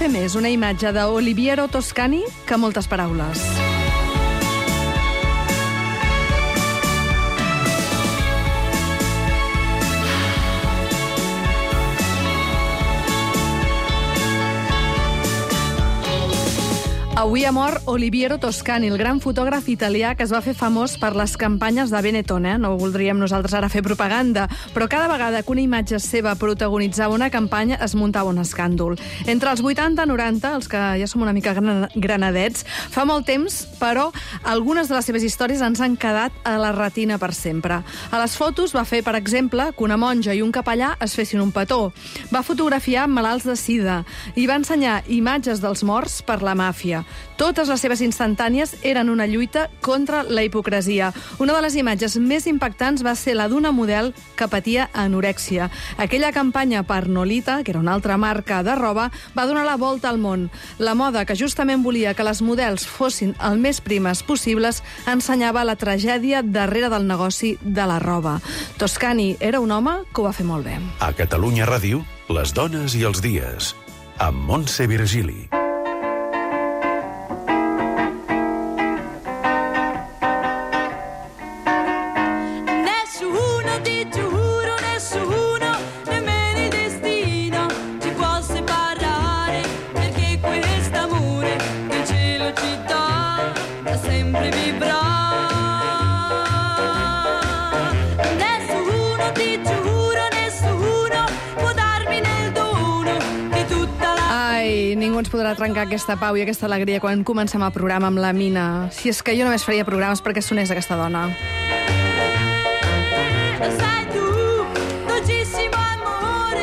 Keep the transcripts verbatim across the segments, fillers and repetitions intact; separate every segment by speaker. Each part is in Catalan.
Speaker 1: fer més una imatge d'Oliviero Toscani que moltes paraules. Avui ha mort Oliviero Toscani, el gran fotògraf italià que es va fer famós per les campanyes de Benetton. Eh? No voldríem nosaltres ara fer propaganda, però cada vegada que una imatge seva protagonitzava una campanya es muntava un escàndol. Entre els vuitanta i noranta, els que ja som una mica gran granadets, fa molt temps, però algunes de les seves històries ens han quedat a la retina per sempre. A les fotos va fer, per exemple, que una monja i un capellà es fessin un petó. Va fotografiar malalts de sida i va ensenyar imatges dels morts per la màfia. Totes les seves instantànies eren una lluita contra la hipocresia. Una de les imatges més impactants va ser la d'una model que patia anorèxia. Aquella campanya per Nolita, que era una altra marca de roba, va donar la volta al món. La moda, que justament volia que les models fossin el més primes possibles, ensenyava la tragèdia darrere del negoci de la roba. Toscani era un home que ho va fer molt bé.
Speaker 2: A Catalunya Ràdio, les dones i els dies, amb Montse Virgili.
Speaker 1: Ningú ens podrà trencar aquesta pau i aquesta alegria quan comencem el programa amb la Mina. Si és que jo només faria programes perquè sonés aquesta dona.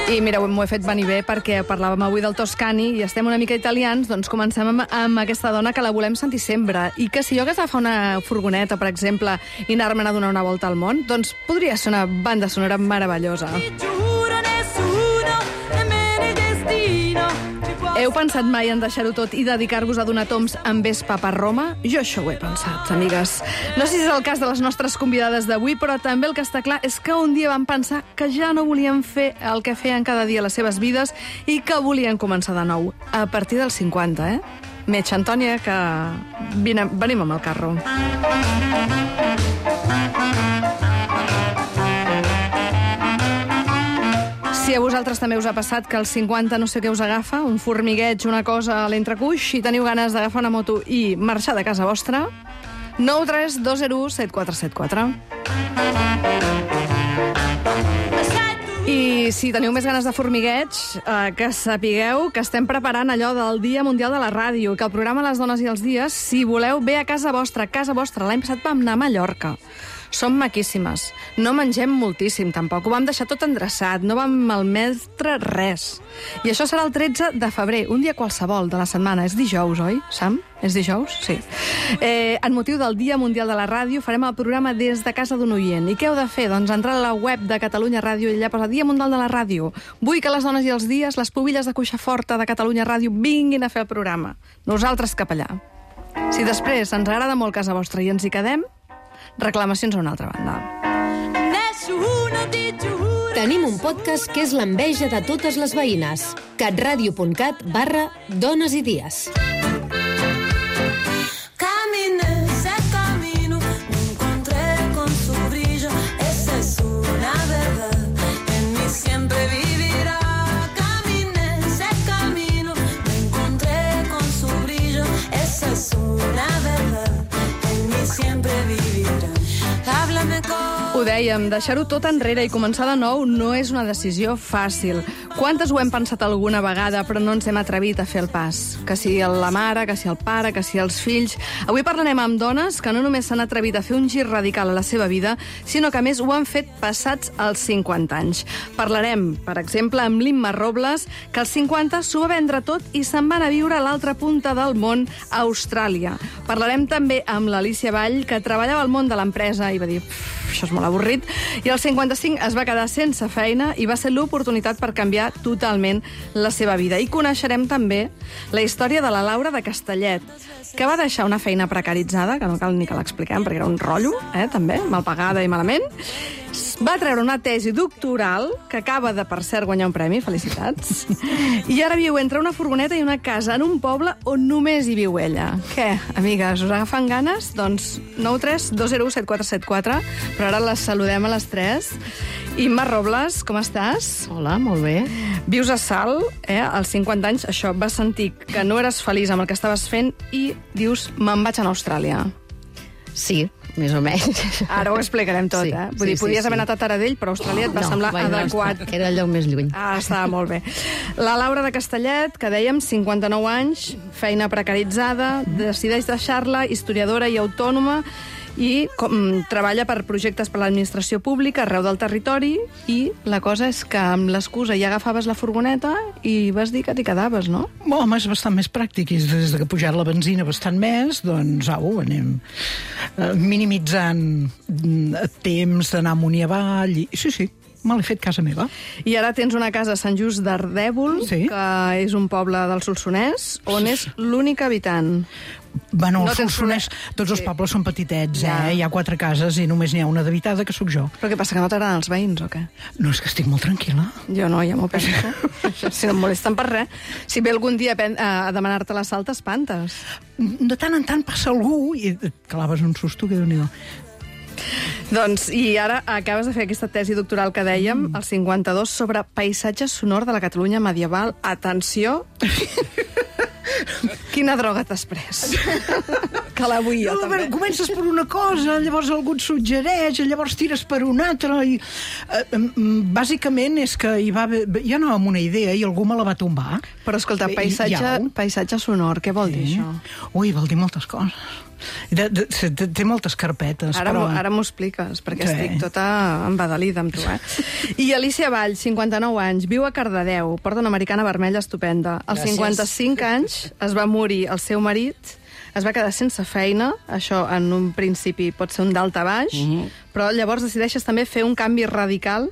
Speaker 1: I mira, m'ho he fet venir bé perquè parlàvem avui del Toscani i estem una mica italians, doncs comencem amb, amb aquesta dona que la volem sentir sempre. I que si jo hagués d'agafar una furgoneta, per exemple, i anar-me'n a donar una volta al món, doncs podria ser una banda sonora meravellosa. Heu pensat mai en deixar-ho tot i dedicar-vos a donar toms amb Vespa per Roma? Jo això ho he pensat, amigues. No sé si és el cas de les nostres convidades d'avui, però també el que està clar és que un dia van pensar que ja no volien fer el que feien cada dia a les seves vides i que volien començar de nou, a partir dels cinquanta, eh? Metge Antònia, que vine, venim amb el carro. Si a vosaltres també us ha passat que als cinquanta no sé què us agafa, un formigueig, una cosa a l'entrecuix, i teniu ganes d'agafar una moto i marxar de casa vostra, nou tres dos zero u set quatre set quatre. I si teniu més ganes de formigueig, eh, que sapigueu que estem preparant allò del Dia Mundial de la Ràdio, que el programa Les Dones i els Dies, si voleu, ve a casa vostra, casa vostra. L'any passat vam anar a Mallorca. Som maquíssimes. No mengem moltíssim, tampoc. Ho vam deixar tot endreçat, no vam malmetre res. I això serà el tretze de febrer, un dia qualsevol de la setmana. És dijous, oi, Sam? És dijous? Sí. Eh, en motiu del Dia Mundial de la Ràdio, farem el programa des de casa d'un oient. I què heu de fer? Doncs entrar a la web de Catalunya Ràdio i allà posa Dia Mundial de la Ràdio. Vull que les dones i els dies, les pubilles de cuixa forta de Catalunya Ràdio, vinguin a fer el programa. Nosaltres cap allà. Si després ens agrada molt casa vostra i ens hi quedem, reclamacions a una altra banda.
Speaker 3: Tenim un podcast que és l'enveja de totes les veïnes. catradio.cat barra dones i dies.
Speaker 1: Ho dèiem, deixar-ho tot enrere i començar de nou no és una decisió fàcil. Quantes ho hem pensat alguna vegada, però no ens hem atrevit a fer el pas? Que si la mare, que si el pare, que si els fills... Avui parlarem amb dones que no només s'han atrevit a fer un gir radical a la seva vida, sinó que a més ho han fet passats els cinquanta anys. Parlarem, per exemple, amb l'Imma Robles, que als cinquanta s'ho va vendre tot i se'n van a viure a l'altra punta del món, a Austràlia. Parlarem també amb l'Alícia Vall, que treballava al món de l'empresa i va dir... això és molt avorrit, i als cinquanta-cinc es va quedar sense feina i va ser l'oportunitat per canviar totalment la seva vida. I coneixerem també la història de la Laura de Castellet, que va deixar una feina precaritzada, que no cal ni que l'expliquem perquè era un rotllo, eh, també, mal pagada i malament, Va treure una tesi doctoral, que acaba de, per cert, guanyar un premi, felicitats, i ara viu entre una furgoneta i una casa en un poble on només hi viu ella. Què, amigues, us agafen ganes? Doncs nou tres dos zero u set quatre set quatre, però ara les saludem a les tres. Imma Robles, com estàs?
Speaker 4: Hola, molt bé.
Speaker 1: Vius a Salt, eh? Als cinquanta anys, això, vas sentir que no eres feliç amb el que estaves fent i dius, me'n vaig a Austràlia.
Speaker 4: Sí, més o menys.
Speaker 1: Ara ho explicarem tot,
Speaker 4: Sí,
Speaker 1: eh? Vull
Speaker 4: sí,
Speaker 1: dir, podies
Speaker 4: sí,
Speaker 1: haver
Speaker 4: sí.
Speaker 1: anat a Taradell, però Austràlia et va
Speaker 4: No,
Speaker 1: semblar
Speaker 4: vaig anar a
Speaker 1: adequat.
Speaker 4: Austràlia, Era el lloc més lluny.
Speaker 1: Ah, estava molt bé. La Laura de Castellet, que dèiem, cinquanta-nou anys, feina precaritzada, decideix deixar-la, historiadora i autònoma, i com, treballa per projectes per a l'administració pública arreu del territori, i la cosa és que amb l'excusa ja agafaves la furgoneta i vas dir que t'hi quedaves, no?
Speaker 5: Home, és bastant més pràctic, i des que ha pujat la benzina bastant més, doncs au, anem eh, minimitzant mm, temps d'anar amunt i avall, i sí, sí, me l'he fet casa meva.
Speaker 1: I ara tens una casa a Sant Just d'Ardèvol,
Speaker 5: Sí.
Speaker 1: que és un poble del Solsonès, on és l'únic habitant.
Speaker 5: Bueno,
Speaker 1: No
Speaker 5: no
Speaker 1: tens
Speaker 5: Solsonès,
Speaker 1: problema.
Speaker 5: tots els
Speaker 1: Sí.
Speaker 5: pobles són petitets,
Speaker 1: Ja.
Speaker 5: eh? Hi ha quatre cases i només n'hi ha una d'habitada, que sóc jo.
Speaker 1: Però què passa, que no t'agraden els veïns o què?
Speaker 5: No, és que estic molt tranquil·la.
Speaker 1: Jo no, ja m'ho penso. Si no em molesten per res. Si ve algun dia a, pen- a demanar-te la sal, t'espantes.
Speaker 5: De tant en tant passa algú i et claves un susto, que déu-n'hi-do.
Speaker 1: Doncs, i ara acabes de fer aquesta tesi doctoral que dèiem, mm. al cinquanta-dos, sobre paisatge sonor de la Catalunya medieval. Atenció! Quina droga t'has pres? Que la vull jo,
Speaker 5: No, a veure,
Speaker 1: també.
Speaker 5: comences per una cosa, llavors algú et suggereix, llavors tires per una altra, i eh, em, bàsicament és que hi va haver, jo anava amb una idea i algú me la va tombar.
Speaker 1: Però escolta,
Speaker 5: I-
Speaker 1: paisatge,
Speaker 5: i au.
Speaker 1: paisatge sonor, què vol dir
Speaker 5: Sí.
Speaker 1: això?
Speaker 5: Ui, vol dir moltes coses. De, de, té, té moltes carpetes,
Speaker 1: Ara,
Speaker 5: però...
Speaker 1: m'ho- ara m'ho expliques, perquè
Speaker 5: Sí.
Speaker 1: estic tota embadalida amb tu, eh? I Alicia Vall, cinquanta-nou anys, viu a Cardedeu, porta una americana vermella estupenda. Als
Speaker 6: Gràcies.
Speaker 1: cinquanta-cinc anys es va morir el seu marit, es va quedar sense feina, això en un principi pot ser un dalt a baix,
Speaker 6: Mhm.
Speaker 1: però llavors decideixes també fer un canvi radical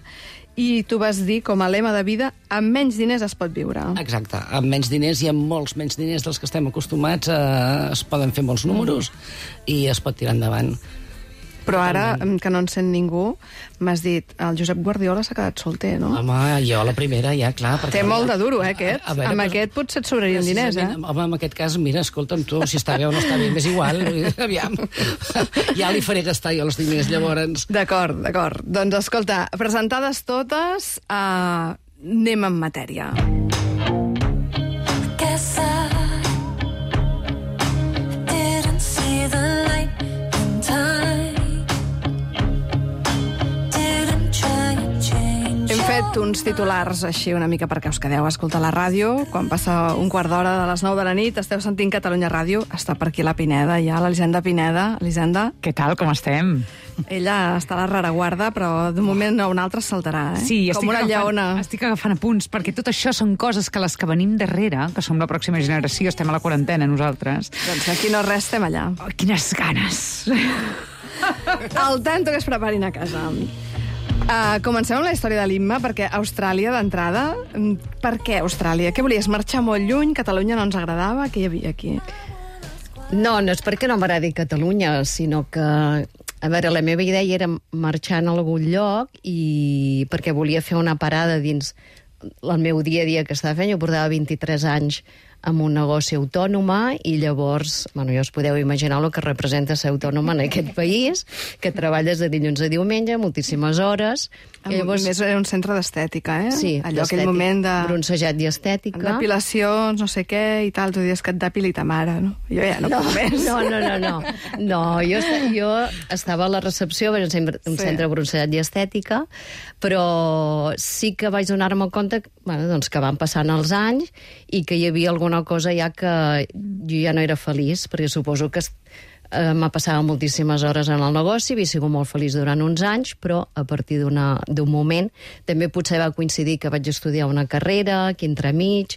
Speaker 1: i tu vas dir, com a lema de vida, amb menys diners es pot viure.
Speaker 6: Exacte, amb menys diners i amb molts menys diners dels que estem acostumats eh, es poden fer molts números i es pot tirar endavant.
Speaker 1: Però ara, que no en sent ningú, m'has dit, el Josep Guardiola s'ha quedat solter, no?
Speaker 6: Home, jo la primera, ja, clar. perquè-
Speaker 1: Té molt de duro, eh, aquest?
Speaker 6: A- a veure,
Speaker 1: amb
Speaker 6: però-
Speaker 1: aquest potser et sobrarien diners, eh?
Speaker 6: Precisament, Home, en aquest cas, mira, escolta'm tu, si està bé o no està bé, m'és igual. Aviam, ja li faré gastar jo els diners, llavors.
Speaker 1: D'acord, d'acord. Doncs escolta, presentades totes, uh, anem en matèria.
Speaker 7: Guess I didn't see the light in time. Didn't try to change.
Speaker 1: Hem fet uns titulars així una mica perquè us quedeu a escoltar la ràdio. Quan passa un quart d'hora de les nou de la nit, esteu sentint Catalunya Ràdio. Està per aquí la Pineda, ja, l'Elisenda Pineda. Elisenda,
Speaker 8: Què tal, com estem?
Speaker 1: ella està a la rereguarda, però d'un moment a un altre saltarà, eh?
Speaker 8: Sí,
Speaker 1: Com
Speaker 8: estic
Speaker 1: una
Speaker 8: agafant,
Speaker 1: lleona.
Speaker 8: estic agafant apunts, perquè tot això són coses que les que venim darrere, que som la pròxima generació, estem a la quarantena nosaltres.
Speaker 1: Doncs aquí no res, estem allà.
Speaker 8: Oh, quines ganes!
Speaker 1: El tanto que es preparin a casa. Uh, comencem amb la història de l'Imma, perquè Austràlia, d'entrada, mm, per què Austràlia? Què volies, marxar molt lluny? Catalunya no ens agradava? Què hi havia aquí?
Speaker 4: No, no és perquè no m'agradi Catalunya, sinó que, a veure, la meva idea era marxar a algun lloc i perquè volia fer una parada dins el meu dia a dia que estava fent. Jo portava vint-i-tres anys amb un negoci autònoma i llavors, bueno, ja us podeu imaginar el que representa ser autònoma en aquest país, que treballes de dilluns a diumenge, moltíssimes hores.
Speaker 1: I
Speaker 4: llavors,
Speaker 1: més era un centre d'estètica, eh?
Speaker 4: sí,
Speaker 1: Allò, aquell
Speaker 4: d'estètica,
Speaker 1: moment de...
Speaker 4: bronzejat i estètica.
Speaker 1: Depilacions, no sé què, i tal. Tu dius que et depili ta mare, no? Jo ja no,
Speaker 4: No,
Speaker 1: puc més.
Speaker 4: no, no, no, no. No, jo, esta- jo estava a la recepció, era un centre, un
Speaker 1: Sí.
Speaker 4: centre bronzejat i estètica, però sí que vaig donar-me compte que, bueno, doncs, que van passant els anys i que hi havia alguna cosa ja que jo ja no era feliç, perquè suposo que eh, m'ha passat moltíssimes hores en el negoci, havia sigut molt feliç durant uns anys, però a partir d'una- d'un moment també potser va coincidir que vaig estudiar una carrera, aquí entremig,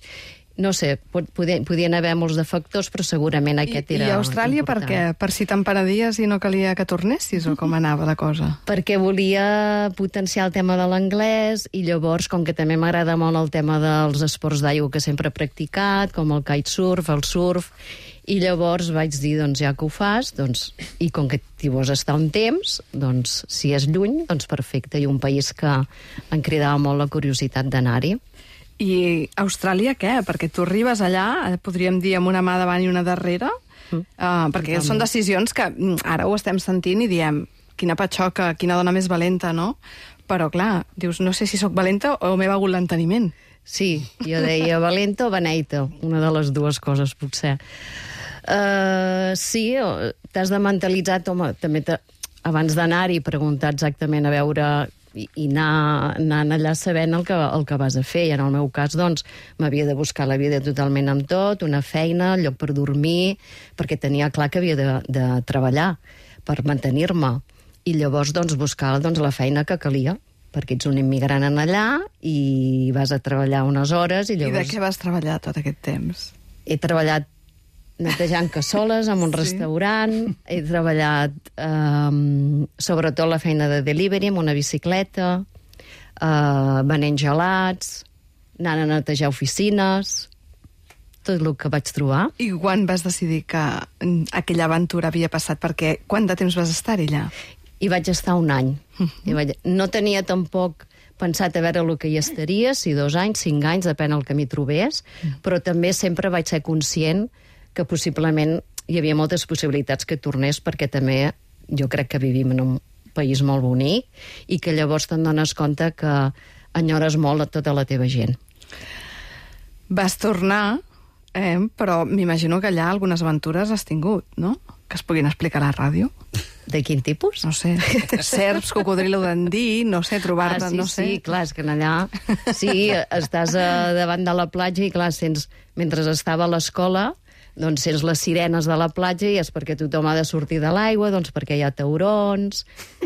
Speaker 4: no sé, podien, podien haver molts de factors, però segurament aquest
Speaker 1: I,
Speaker 4: era
Speaker 1: I Austràlia per què? Per si t'emparadies i no calia que tornessis, o com anava la cosa?
Speaker 4: Perquè volia potenciar el tema de l'anglès i llavors, com que també m'agrada molt el tema dels esports d'aigua que sempre he practicat, com el kitesurf, el surf, i llavors vaig dir, doncs ja que ho fas, doncs, i com que t'hi vols estar un temps, doncs si és lluny, doncs perfecte, i un país que em cridava molt la curiositat d'anar-hi.
Speaker 1: I Austràlia què? Perquè tu arribes allà, podríem dir amb una mà davant i una darrere, mm. uh, perquè Totalment. Són decisions que ara ho estem sentint i diem quina patxoca, quina dona més valenta, no? Però clar, dius, no sé si sóc valenta o m'he begut l'enteniment.
Speaker 4: Sí, jo deia valenta o beneita, una de les dues coses, potser. Uh, sí, t'has de mentalitzar, home, també abans d'anar-hi preguntar exactament a veure... i, i anar, anar allà sabent el que, el que vas a fer. I en el meu cas, doncs, m'havia de buscar la vida totalment amb tot, una feina, lloc per dormir, perquè tenia clar que havia de, de treballar per mantenir-me. I llavors, doncs, buscar doncs, la feina que calia, perquè ets un immigrant en allà i vas a treballar unes hores i llavors...
Speaker 1: I de què vas treballar tot aquest temps?
Speaker 4: He treballat netejant cassoles en un sí. restaurant, he treballat eh, sobretot la feina de delivery amb una bicicleta, eh, venent gelats, anant a netejar oficines, tot el que vaig trobar.
Speaker 1: I quan vas decidir que aquella aventura havia passat? Perquè quant de temps vas estar allà?
Speaker 4: Hi vaig estar un any. Uh-huh. I vaig... No tenia tampoc pensat a veure el que hi estaria, si dos anys, cinc anys, depèn del que m'hi trobés, uh-huh. però també sempre vaig ser conscient que possiblement hi havia moltes possibilitats que tornés, perquè també jo crec que vivim en un país molt bonic i que llavors te'n dones compte que enyores molt a tota la teva gent.
Speaker 1: Vas tornar, eh, però m'imagino que allà algunes aventures has tingut, no? Que es puguin explicar a la ràdio.
Speaker 4: De quin tipus?
Speaker 1: No sé, serps, cocodril o dandí, no sé, trobar-te,
Speaker 4: ah, sí,
Speaker 1: no sé.
Speaker 4: Sí, clar, és que allà... Sí, estàs a, davant de la platja i, clar, sents... Mentre estava a l'escola, doncs sents les sirenes de la platja i és perquè tothom ha de sortir de l'aigua, doncs perquè hi ha taurons,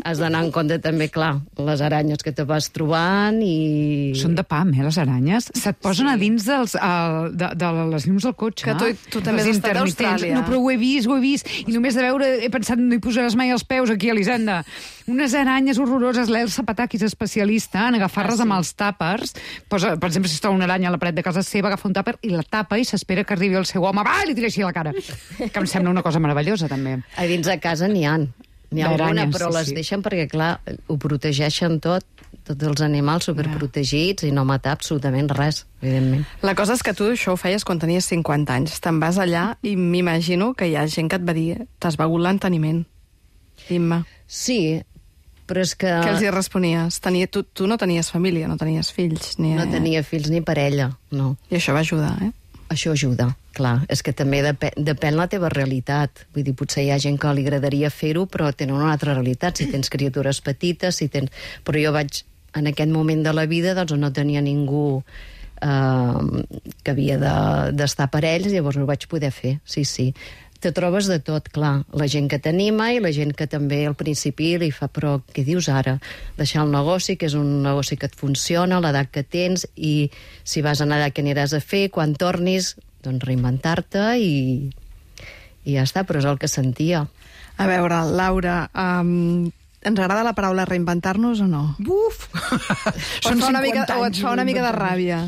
Speaker 4: has d'anar en compte també, clar, les aranyes que te vas trobant i...
Speaker 8: Són de pam, eh, les aranyes? Se't posen sí. a dins dels, uh, de, de les llums del cotxe.
Speaker 1: Que tu, tu també has estat a Austràlia.
Speaker 8: No, però ho he vist, ho he vist, i només de veure he pensat, no hi posaràs mai els peus aquí a l'Hisenda. Unes aranyes horroroses, l'Elsa Pataki és especialista en agafar-les ah, sí. amb els tàpers. Posa, per exemple, si es troba una aranya a la paret de casa seva, agafa un tàper i la tapa i s'espera que arribi el seu home, va, i li tira així a la cara. Que em sembla una cosa meravellosa, també.
Speaker 4: A dins de casa n'hi ha. N'hi ha alguna, però sí, les sí. deixen perquè, clar, ho protegeixen tot, tots els animals superprotegits i no matar absolutament res, evidentment.
Speaker 1: La cosa és que tu això ho feies quan tenies cinquanta anys. Te'n vas allà i m'imagino que hi ha gent que et va dir t'has begut l'enteniment. Imma.
Speaker 4: Sí, però és que...
Speaker 1: Què els hi responies? Tenia, tu, tu no tenies família, no tenies fills. Ni...
Speaker 4: No tenia fills ni parella, no.
Speaker 1: I això va ajudar, eh?
Speaker 4: Això ajuda, clar. És que també depèn, depèn la teva realitat. Vull dir, potser hi ha gent que li agradaria fer-ho, però tenen una altra realitat. Si tens criatures petites, si tens... Però jo vaig, en aquest moment de la vida, doncs no tenia ningú eh, que havia d'estar de, per ells, llavors no ho vaig poder fer, sí, sí. Te trobes de tot, clar. La gent que t'anima i la gent que també al principi li fa, però què dius ara? Deixar el negoci, que és un negoci que et funciona, l'edat que tens, i si vas anar allà, què aniràs a fer? Quan tornis, doncs reinventar-te i, i ja està, però és el que sentia.
Speaker 1: A veure, Laura, um, ens agrada la paraula reinventar-nos o no?
Speaker 5: Buf!
Speaker 1: Són cinquanta mica, anys. O et fa una mica de ràbia?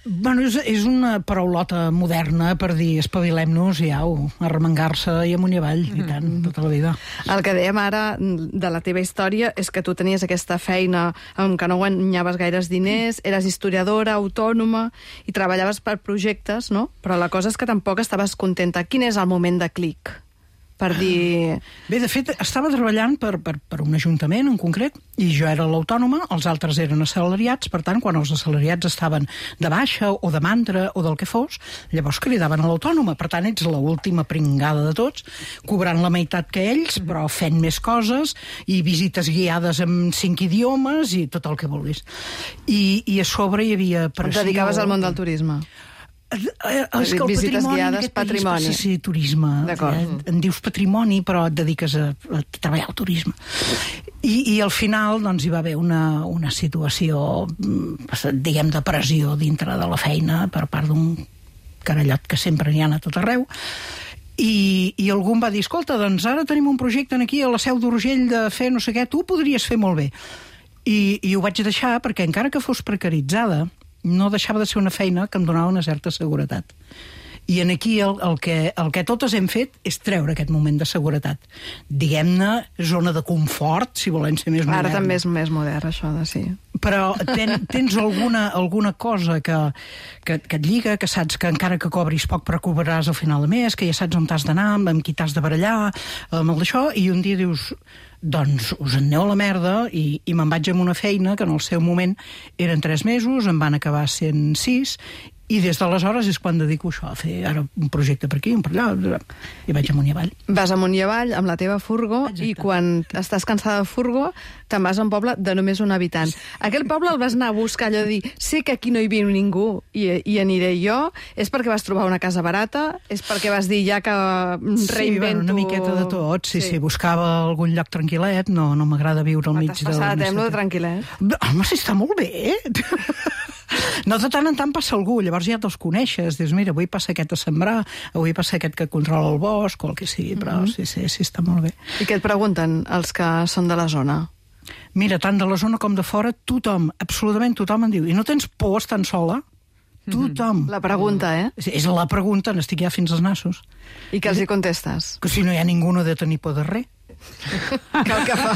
Speaker 5: Bueno, és, és una paraulota moderna per dir espavilem-nos i au, arremengar-se i amunt i avall, mm. i tant, tota la vida.
Speaker 1: El que dèiem ara de la teva història és que tu tenies aquesta feina en què no guanyaves gaires diners, eres historiadora, autònoma, i treballaves per projectes, no? Però la cosa és que tampoc estaves contenta. Quin és el moment de clic? Per dir...
Speaker 5: Bé, de fet, estava treballant per, per, per un ajuntament en concret, i jo era l'autònoma, els altres eren assalariats, per tant, quan els assalariats estaven de baixa o de mandra o del que fos, llavors cridaven a l'autònoma. Per tant, ets l'última pringada de tots, cobrant la meitat que ells, però fent més coses, i visites guiades en cinc idiomes, i tot el que vulguis. I, i a sobre hi havia pressió...
Speaker 1: Et dedicaves al món del turisme?
Speaker 5: És que el
Speaker 1: visites
Speaker 5: patrimoni
Speaker 1: guiades, patrimoni.
Speaker 5: País, sí, sí, turisme.
Speaker 1: D'acord.
Speaker 5: En dius patrimoni, però et dediques a, a treballar al turisme. I, i al final doncs, hi va haver una, una situació, diguem, de pressió dintre de la feina per part d'un carallot que sempre n'hi ha a tot arreu, i, i algú em va dir, escolta, doncs ara tenim un projecte aquí a la Seu d'Urgell de fer no sé què, tu ho podries fer molt bé. I, i ho vaig deixar perquè encara que fos precaritzada, no deixava de ser una feina que em donava una certa seguretat. I en aquí el, el, que, el que totes hem fet és treure aquest moment de seguretat. Diguem-ne, zona de confort, si volem ser més moderns.
Speaker 1: Ara també és més modern, això de sí.
Speaker 5: Però ten, tens alguna, alguna cosa que, que, que et lliga, que saps que encara que cobris poc però cobraràs al final de mes, que ja saps on t'has d'anar, amb qui t'has de barallar, amb el d'això, i un dia dius, doncs us en aneu a la merda, i, i me'n vaig amb una feina que en el seu moment eren tres mesos, en van acabar sent sis, i des d'aleshores és quan dedico això, a fer ara un projecte per aquí, un per allà, i vaig amunt i avall.
Speaker 1: Vas amunt i avall amb la teva furgo. Exacte. I quan estàs cansada de furgo te'n vas a un poble de només un habitant. Aquell poble el vas anar a buscar, allò de dir, sé que aquí no hi viu ningú i, i aniré jo, és perquè vas trobar una casa barata, és perquè vas dir ja que reinvento...
Speaker 5: Sí, bueno, una miqueta de tot, sí, sí, sí, buscava algun lloc tranquil·let, no, no m'agrada viure al mig de...
Speaker 1: T'has passat, eh, amb lo de tranquil·let?
Speaker 5: Home, si està molt bé! No, de tant en tant passa algú, llavors ja te'ls coneixes, dius, mira, avui passa aquest a sembrar, avui passa aquest que controla el bosc, o el que sigui, però mm-hmm. sí, sí, sí, està molt bé.
Speaker 1: I què et pregunten els que són de la zona?
Speaker 5: Mira, tant de la zona com de fora, tothom, absolutament tothom em diu, i no tens por estant sola? Tothom.
Speaker 1: La pregunta, eh?
Speaker 5: És, és la pregunta, n'estic ja fins als nassos.
Speaker 1: I què els hi contestes?
Speaker 5: Que si no hi ha ningú no ha de tenir por de res.
Speaker 1: Cal que fa.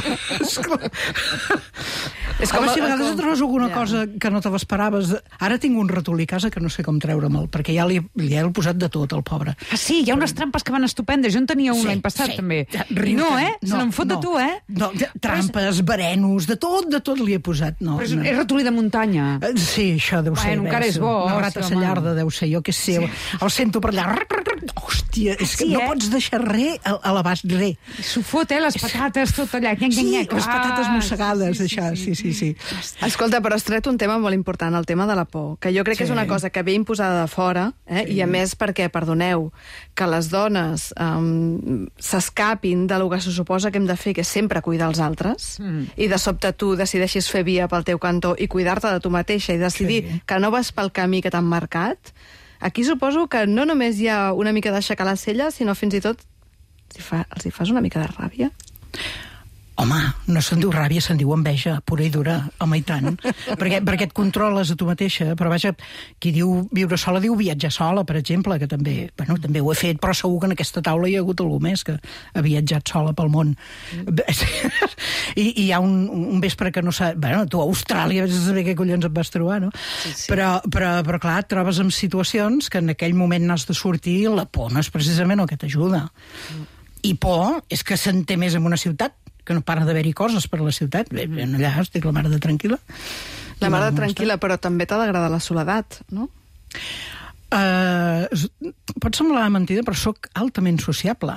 Speaker 5: És com, si a vegades et trobes alguna ja. cosa que no te l'esperaves. Ara tinc un ratolí a casa que no sé com treure'l, perquè ja li, li he posat de tot, al pobre.
Speaker 8: Ah, sí, hi ha unes trampes que van estupendes. Jo en tenia un sí, l'any passat, sí. també.
Speaker 5: Riu,
Speaker 8: no, eh? No, Se n'en fot
Speaker 5: no,
Speaker 8: de tu, eh?
Speaker 5: No, trampes, verenos, de tot, de tot li he posat. No,
Speaker 8: Però és,
Speaker 5: no.
Speaker 8: és ratolí de muntanya.
Speaker 5: Sí, això deu ser.
Speaker 8: Bueno, encara és bo.
Speaker 5: Una rata sallarda deu ser, jo què sé. Sí. El sento per allà. Hòstia, és que sí, no eh? pots deixar res a l'abast, res.
Speaker 8: S'ho fot, eh? Les patates, tot allà. Nyec,
Speaker 5: sí,
Speaker 8: nyec.
Speaker 5: les patates mossegades,
Speaker 8: sí, sí,
Speaker 5: això, sí, sí, sí.
Speaker 1: Escolta, però has tret un tema molt important, el tema de la por, que jo crec sí. que és una cosa que ve imposada de fora, eh? sí. i a més perquè, perdoneu, que les dones um, s'escapin de lo que se suposa que hem de fer, que és sempre cuidar els altres, mm. i de sobte tu decideixis fer via pel teu cantó i cuidar-te de tu mateixa i decidir sí. que no vas pel camí que t'han marcat. Aquí suposo que no només hi ha una mica d'aixecar la cella, sinó fins i tot els hi, fa, els hi fas una mica de ràbia?
Speaker 5: Home, no se'n diu ràbia, se'n diu enveja, pura i dura, home i tant. perquè, perquè et controles a tu mateixa, però vaja, qui diu viure sola diu viatjar sola, per exemple, que també, bueno, també ho he fet, però segur que en aquesta taula hi ha hagut algú més que ha viatjat sola pel món. Mm. I, I hi ha un, un vespre que no sap... Bueno, tu a Austràlia vas saber què collons et vas trobar, no? Sí, sí. Però, però, però clar, et trobes en situacions que en aquell moment n'has de sortir i la por no és precisament el que t'ajuda. Mm. I por és que se'n té més en una ciutat, que no para d'haver-hi coses per a la ciutat. Bé, allà estic la mare de tranquil·la.
Speaker 1: La mare de tranquil·la, però també t'ha d'agradar la soledat, no?
Speaker 5: Uh, pot semblar mentida, però sóc altament sociable.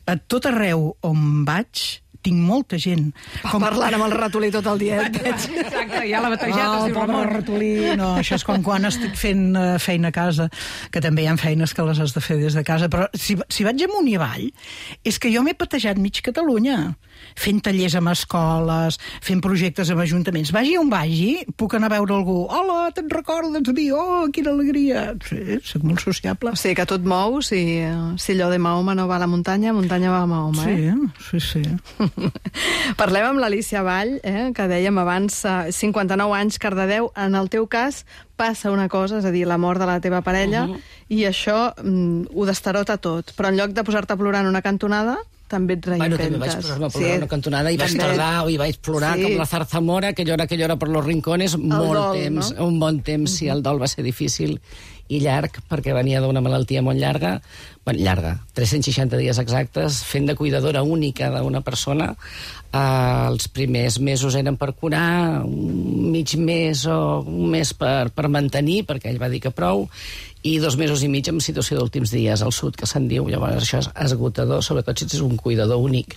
Speaker 5: A tot arreu on vaig tinc molta gent.
Speaker 1: Com... Parlant amb el ratolí tot el dia.
Speaker 8: Exacte, ja l'ha batejat.
Speaker 5: Oh, el pobre ratolí. No, això és com quan estic fent uh, feina a casa, que també hi ha feines que les has de fer des de casa, però si, si vaig amunt i avall, és que jo m'he patejat mig Catalunya, fent tallers amb escoles, fent projectes amb ajuntaments. Vagi on vagi, puc anar a veure algú. Hola, te'n recordes de mi? Oh, quina alegria. Sí, soc molt sociable.
Speaker 1: O sigui que tu et mous i si allò de Mahoma no va a la muntanya, muntanya va a Mahoma, eh?
Speaker 5: Sí, sí, sí.
Speaker 1: Parlem amb l'Alícia Vall, eh, que dèiem abans, cinquanta-nou anys, Cardedeu. En el teu cas passa una cosa, és a dir, la mort de la teva parella, uh-huh. i això mm, ho destarota tot. Però en lloc de posar-te a plorar en una cantonada, també et reinventes.
Speaker 6: Bueno, també vaig posar-me a plorar sí. una cantonada i vaig
Speaker 1: també...
Speaker 6: tardar i vaig plorar sí. com la zarzamora, que llora, que llora per los rincones, el molt
Speaker 1: dol,
Speaker 6: temps,
Speaker 1: no?
Speaker 6: un bon temps, uh-huh. sí, el dol va ser difícil i llarg, perquè venia d'una malaltia molt llarga, bueno, llarga, tres-cents seixanta dies exactes, fent de cuidadora única d'una persona. Uh, els primers mesos eren per curar, un mig mes o un mes per, per mantenir, perquè ell va dir que prou, i dos mesos i mig en situació d'últims dies al sud, que se'n diu. Llavors això és esgotador, sobretot si ets un cuidador únic.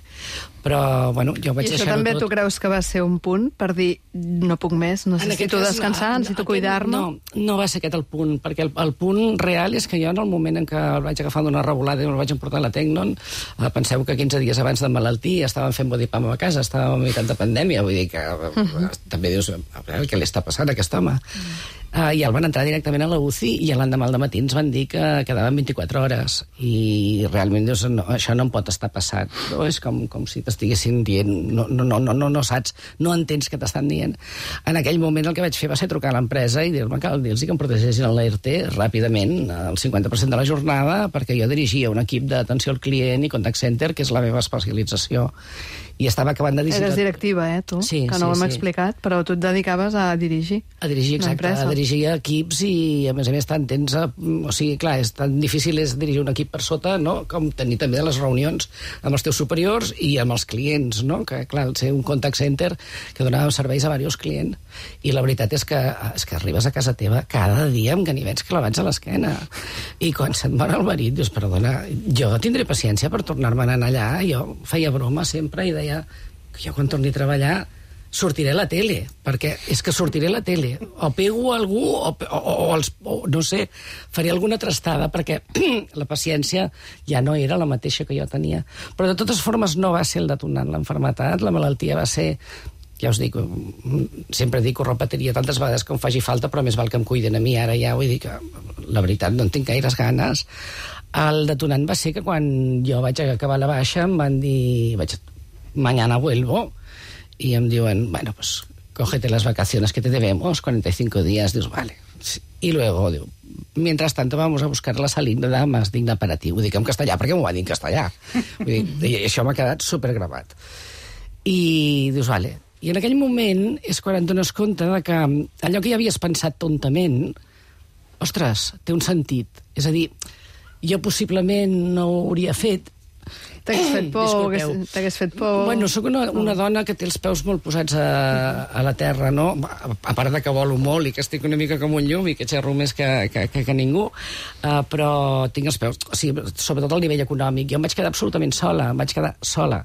Speaker 6: Però, bueno, jo vaig
Speaker 1: deixar-ho tot. I
Speaker 6: això
Speaker 1: també
Speaker 6: tot.
Speaker 1: Tu creus que va ser un punt per dir no puc més, necessito descansar, no, necessito aquest, cuidar-me?
Speaker 6: No, no va ser aquest el punt, perquè el, el punt real és que jo en el moment en què el vaig agafar d'una revolada i el vaig emportar a la Tecnon, eh, penseu que quinze dies abans de malaltia estàvem fent bodipam a casa, estàvem a meitat de pandèmia, vull dir que uh-huh. també dius, a veure, què li està passant a aquest home? Uh-huh. Uh, I el van entrar directament a la U C I i l'endemà al matí ens van dir que quedaven vint-i-quatre hores. I realment dius, no, això no em pot estar passat. No? És com, com si t'estiguessin dient, no, no, no, no, no, no saps, no entens què t'estan dient. En aquell moment el que vaig fer va ser trucar a l'empresa i dir-me que dir-los que em protegessin l'E R T ràpidament, el cinquanta per cent de la jornada, perquè jo dirigia un equip d'atenció al client i contact center, que és la meva especialització. I estava acabant de dirigir...
Speaker 1: Eres directiva, eh, tu?
Speaker 6: Sí,
Speaker 1: que no
Speaker 6: sí,
Speaker 1: ho hem
Speaker 6: sí.
Speaker 1: explicat, però tu et dedicaves a dirigir.
Speaker 6: A dirigir, exacte, a dirigir equips i, a més a més, tan tens... A, o sigui, clar, és tan difícil és dirigir un equip per sota, no?, com tenir també les reunions amb els teus superiors i amb els clients, no?, que, clar, ser un contact center que donava serveis a diversos clients. I la veritat és que, és que arribes a casa teva cada dia amb ganivets clavats a l'esquena. I quan se't mor el marit, dius, perdona, jo tindré paciència per tornar-me'n a anar allà. Jo feia broma sempre i deia que jo quan torni a treballar sortiré a la tele, perquè és que sortiré a la tele, o pego a algú o, o, o, els, o no sé, faré alguna trastada, perquè la paciència ja no era la mateixa que jo tenia. Però de totes formes no va ser el detonant l'enfermetat, la malaltia va ser, ja us dic, sempre dic, ho repetiria tantes vegades com faci falta, però més val que em cuiden a mi ara ja, vull dir que la veritat no en tinc gaires ganes. El detonant va ser que quan jo vaig acabar la baixa em van dir, vaig, mañana vuelvo, y em diuen, bueno, pues cógete las vacaciones que te debemos, cuarenta y cinco días, dius, vale. Y luego, diu, mientras tanto vamos a buscar la salida más digna para ti. Ho dic en castellà, perquè m'ho va dir en castellà. Vull dir, i això m'ha quedat supergravat. I dius, vale. I en aquell moment és quan et dones compte de que allò que ja havies pensat tontament, ostres, té un sentit. És a dir, jo possiblement no ho hauria fet.
Speaker 1: T'hagués fet por, t'hagués fet por...
Speaker 6: Bueno, sóc una, una dona que té els peus molt posats a, a la terra, no? A part de que volo molt i que estic una mica com un llum i que xerro més que, que, que, que ningú, uh, però tinc els peus... O sigui, sobretot al nivell econòmic. Jo em vaig quedar absolutament sola, em vaig quedar sola.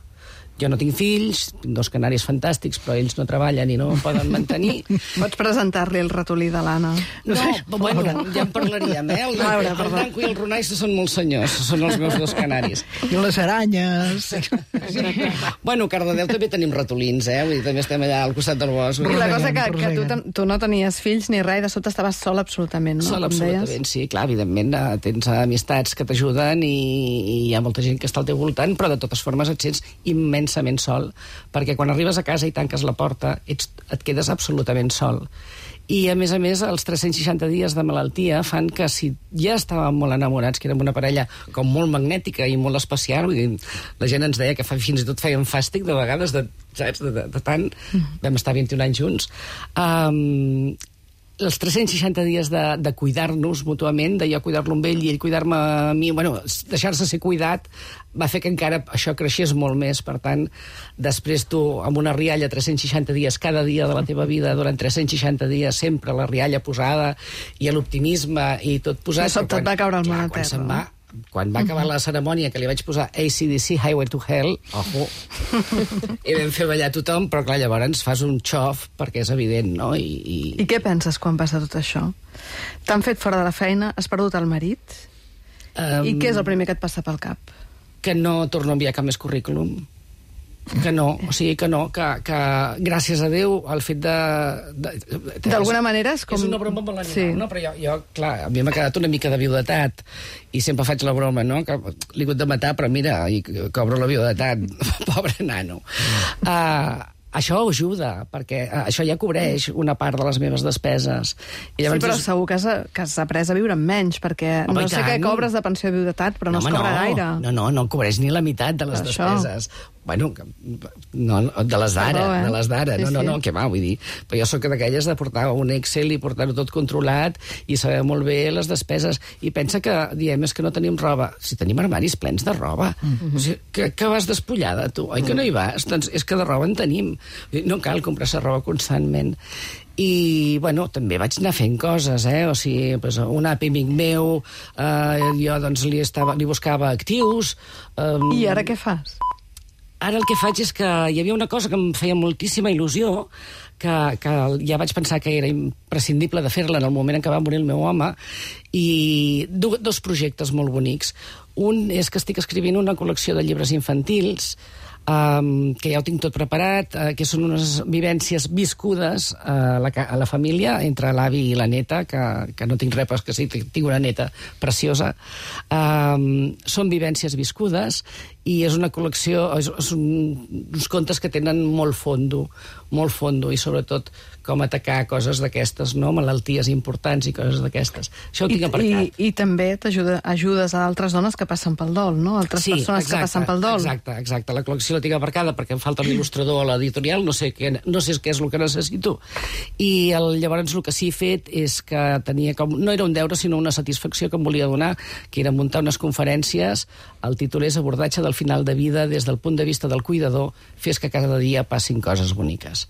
Speaker 6: Jo no tinc fills, tinc dos canaris fantàstics, però ells no treballen i no em poden mantenir.
Speaker 1: Pots presentar-li el ratolí de l'Anna.
Speaker 6: No, no bueno, ja en parlaríem, eh? El,
Speaker 1: Laura,
Speaker 6: el Branco i el Ronai són molts senyors, són els meus dos canaris.
Speaker 5: I les aranyes.
Speaker 6: Bueno, a Cardedeu també tenim ratolins, eh? Vull dir, també estem allà al costat del bosc.
Speaker 1: I la cosa que, que tu, ten- tu no tenies fills ni res, i de sobte estaves sola absolutament, no?
Speaker 6: Sola,
Speaker 1: Com deies.
Speaker 6: absolutament, sí, clar, evidentment eh, tens amistats que t'ajuden i, i hi ha molta gent que està al teu voltant, però de totes formes et sents immensament sol, perquè quan arribes a casa i tanques la porta ets, et quedes absolutament sol. I, a més a més, els tres-cents seixanta dies de malaltia fan que si ja estàvem molt enamorats, que érem una parella com molt magnètica i molt especial, vull dir, la gent ens deia que fa, fins i tot feien fàstic de vegades, de, saps, de, de, de tant, vam estar vint-i-un anys junts, um, els tres-cents seixanta dies de, de cuidar-nos mútuament, de jo cuidar-lo amb ell i ell cuidar-me a mi, bueno, deixar-se ser cuidat, va fer que encara això creixés molt més. Per tant, després tu, amb una rialla tres-cents seixanta dies, cada dia de la teva vida, durant tres-cents seixanta dies, sempre la rialla posada, i l'optimisme, i tot posat...
Speaker 1: I sobte et va caure el món a
Speaker 6: quan
Speaker 1: terra.
Speaker 6: se'n va, quan va acabar la cerimònia, que li vaig posar A C D C, Highway to Hell, ojo, i vam fer ballar tothom, però clar, llavors fas un xof, perquè és evident, no? I, i...
Speaker 1: I què penses quan passa tot això? T'han fet fora de la feina, has perdut el marit,
Speaker 6: Um,
Speaker 1: i què és el primer que et passa pel cap?
Speaker 6: que no torno a enviar cap més currículum. Que no, o sigui que no, que, que gràcies a Déu el fet de... de
Speaker 1: D'alguna manera és com...
Speaker 6: És una broma molt animal,
Speaker 1: Sí.
Speaker 6: no? Però jo, jo, clar, a mi m'ha quedat una mica de viudetat i sempre faig la broma, no? Que l'he hagut de matar, però mira, i cobro la viudetat. Pobre nano. Uh, això ajuda, perquè uh, això ja cobreix una part de les meves despeses. I
Speaker 1: Sí, però
Speaker 6: és-
Speaker 1: segur que has, que has après a viure amb menys, perquè
Speaker 6: Home,
Speaker 1: no
Speaker 6: i
Speaker 1: sé què
Speaker 6: tant.
Speaker 1: cobres de pensió de viudetat, però no
Speaker 6: home,
Speaker 1: es cobra gaire.
Speaker 6: No, no, no cobreix ni la meitat de les
Speaker 1: Per això.
Speaker 6: despeses. Bueno, que- no, no, de les d'ara,
Speaker 1: Perdó, eh?
Speaker 6: de les d'ara.
Speaker 1: Sí,
Speaker 6: No, no,
Speaker 1: sí.
Speaker 6: no, què va, vull dir. Però jo sóc d'aquelles de portar un Excel i portar-ho tot controlat i saber molt bé les despeses. I pensa que diem, és que no tenim roba. Si tenim armaris plens de roba. Mm-hmm. O sigui, que, que vas despullada, tu? Oi que no hi vas? Doncs és que de roba en tenim. Vull dir, no cal comprar-se roba constantment. I, bueno, també vaig anar fent coses, eh? O sigui, pues, un api amic meu, eh, jo doncs li, estava, li buscava actius... Eh,
Speaker 1: I ara què fas?
Speaker 6: Ara el que faig és que hi havia una cosa que em feia moltíssima il·lusió, que, que ja vaig pensar que era imprescindible de fer-la en el moment en què va morir el meu home, i do, dos projectes molt bonics. Un és que estic escrivint una col·lecció de llibres infantils, um, que ja ho tinc tot preparat, uh, que són unes vivències viscudes uh, a, la, a la família, entre l'avi i la neta, que, que no tinc res, però que sí, tinc una neta preciosa. Um, són vivències viscudes i és una col·lecció, és, és un, uns contes que tenen molt fondo, molt fondo, i sobretot com atacar coses d'aquestes, no? Malalties importants i coses d'aquestes. Això ho tinc aparcat.
Speaker 1: I, i també t'ajuda ajudes a altres dones que passen pel dol, no? Altres
Speaker 6: sí,
Speaker 1: persones
Speaker 6: exacte,
Speaker 1: que passen pel dol.
Speaker 6: Exacte, exacte. La col·lecció la tinc aparcada perquè em falta l'il·lustrador a l'editorial, no sé què, no sé què és el que necessito. I el, llavors el que sí he fet és que tenia com... No era un deure, sinó una satisfacció que em volia donar, que era muntar unes conferències. El títol és Abordatge del final de vida des del punt de vista del cuidador, fes que cada dia passin coses boniques.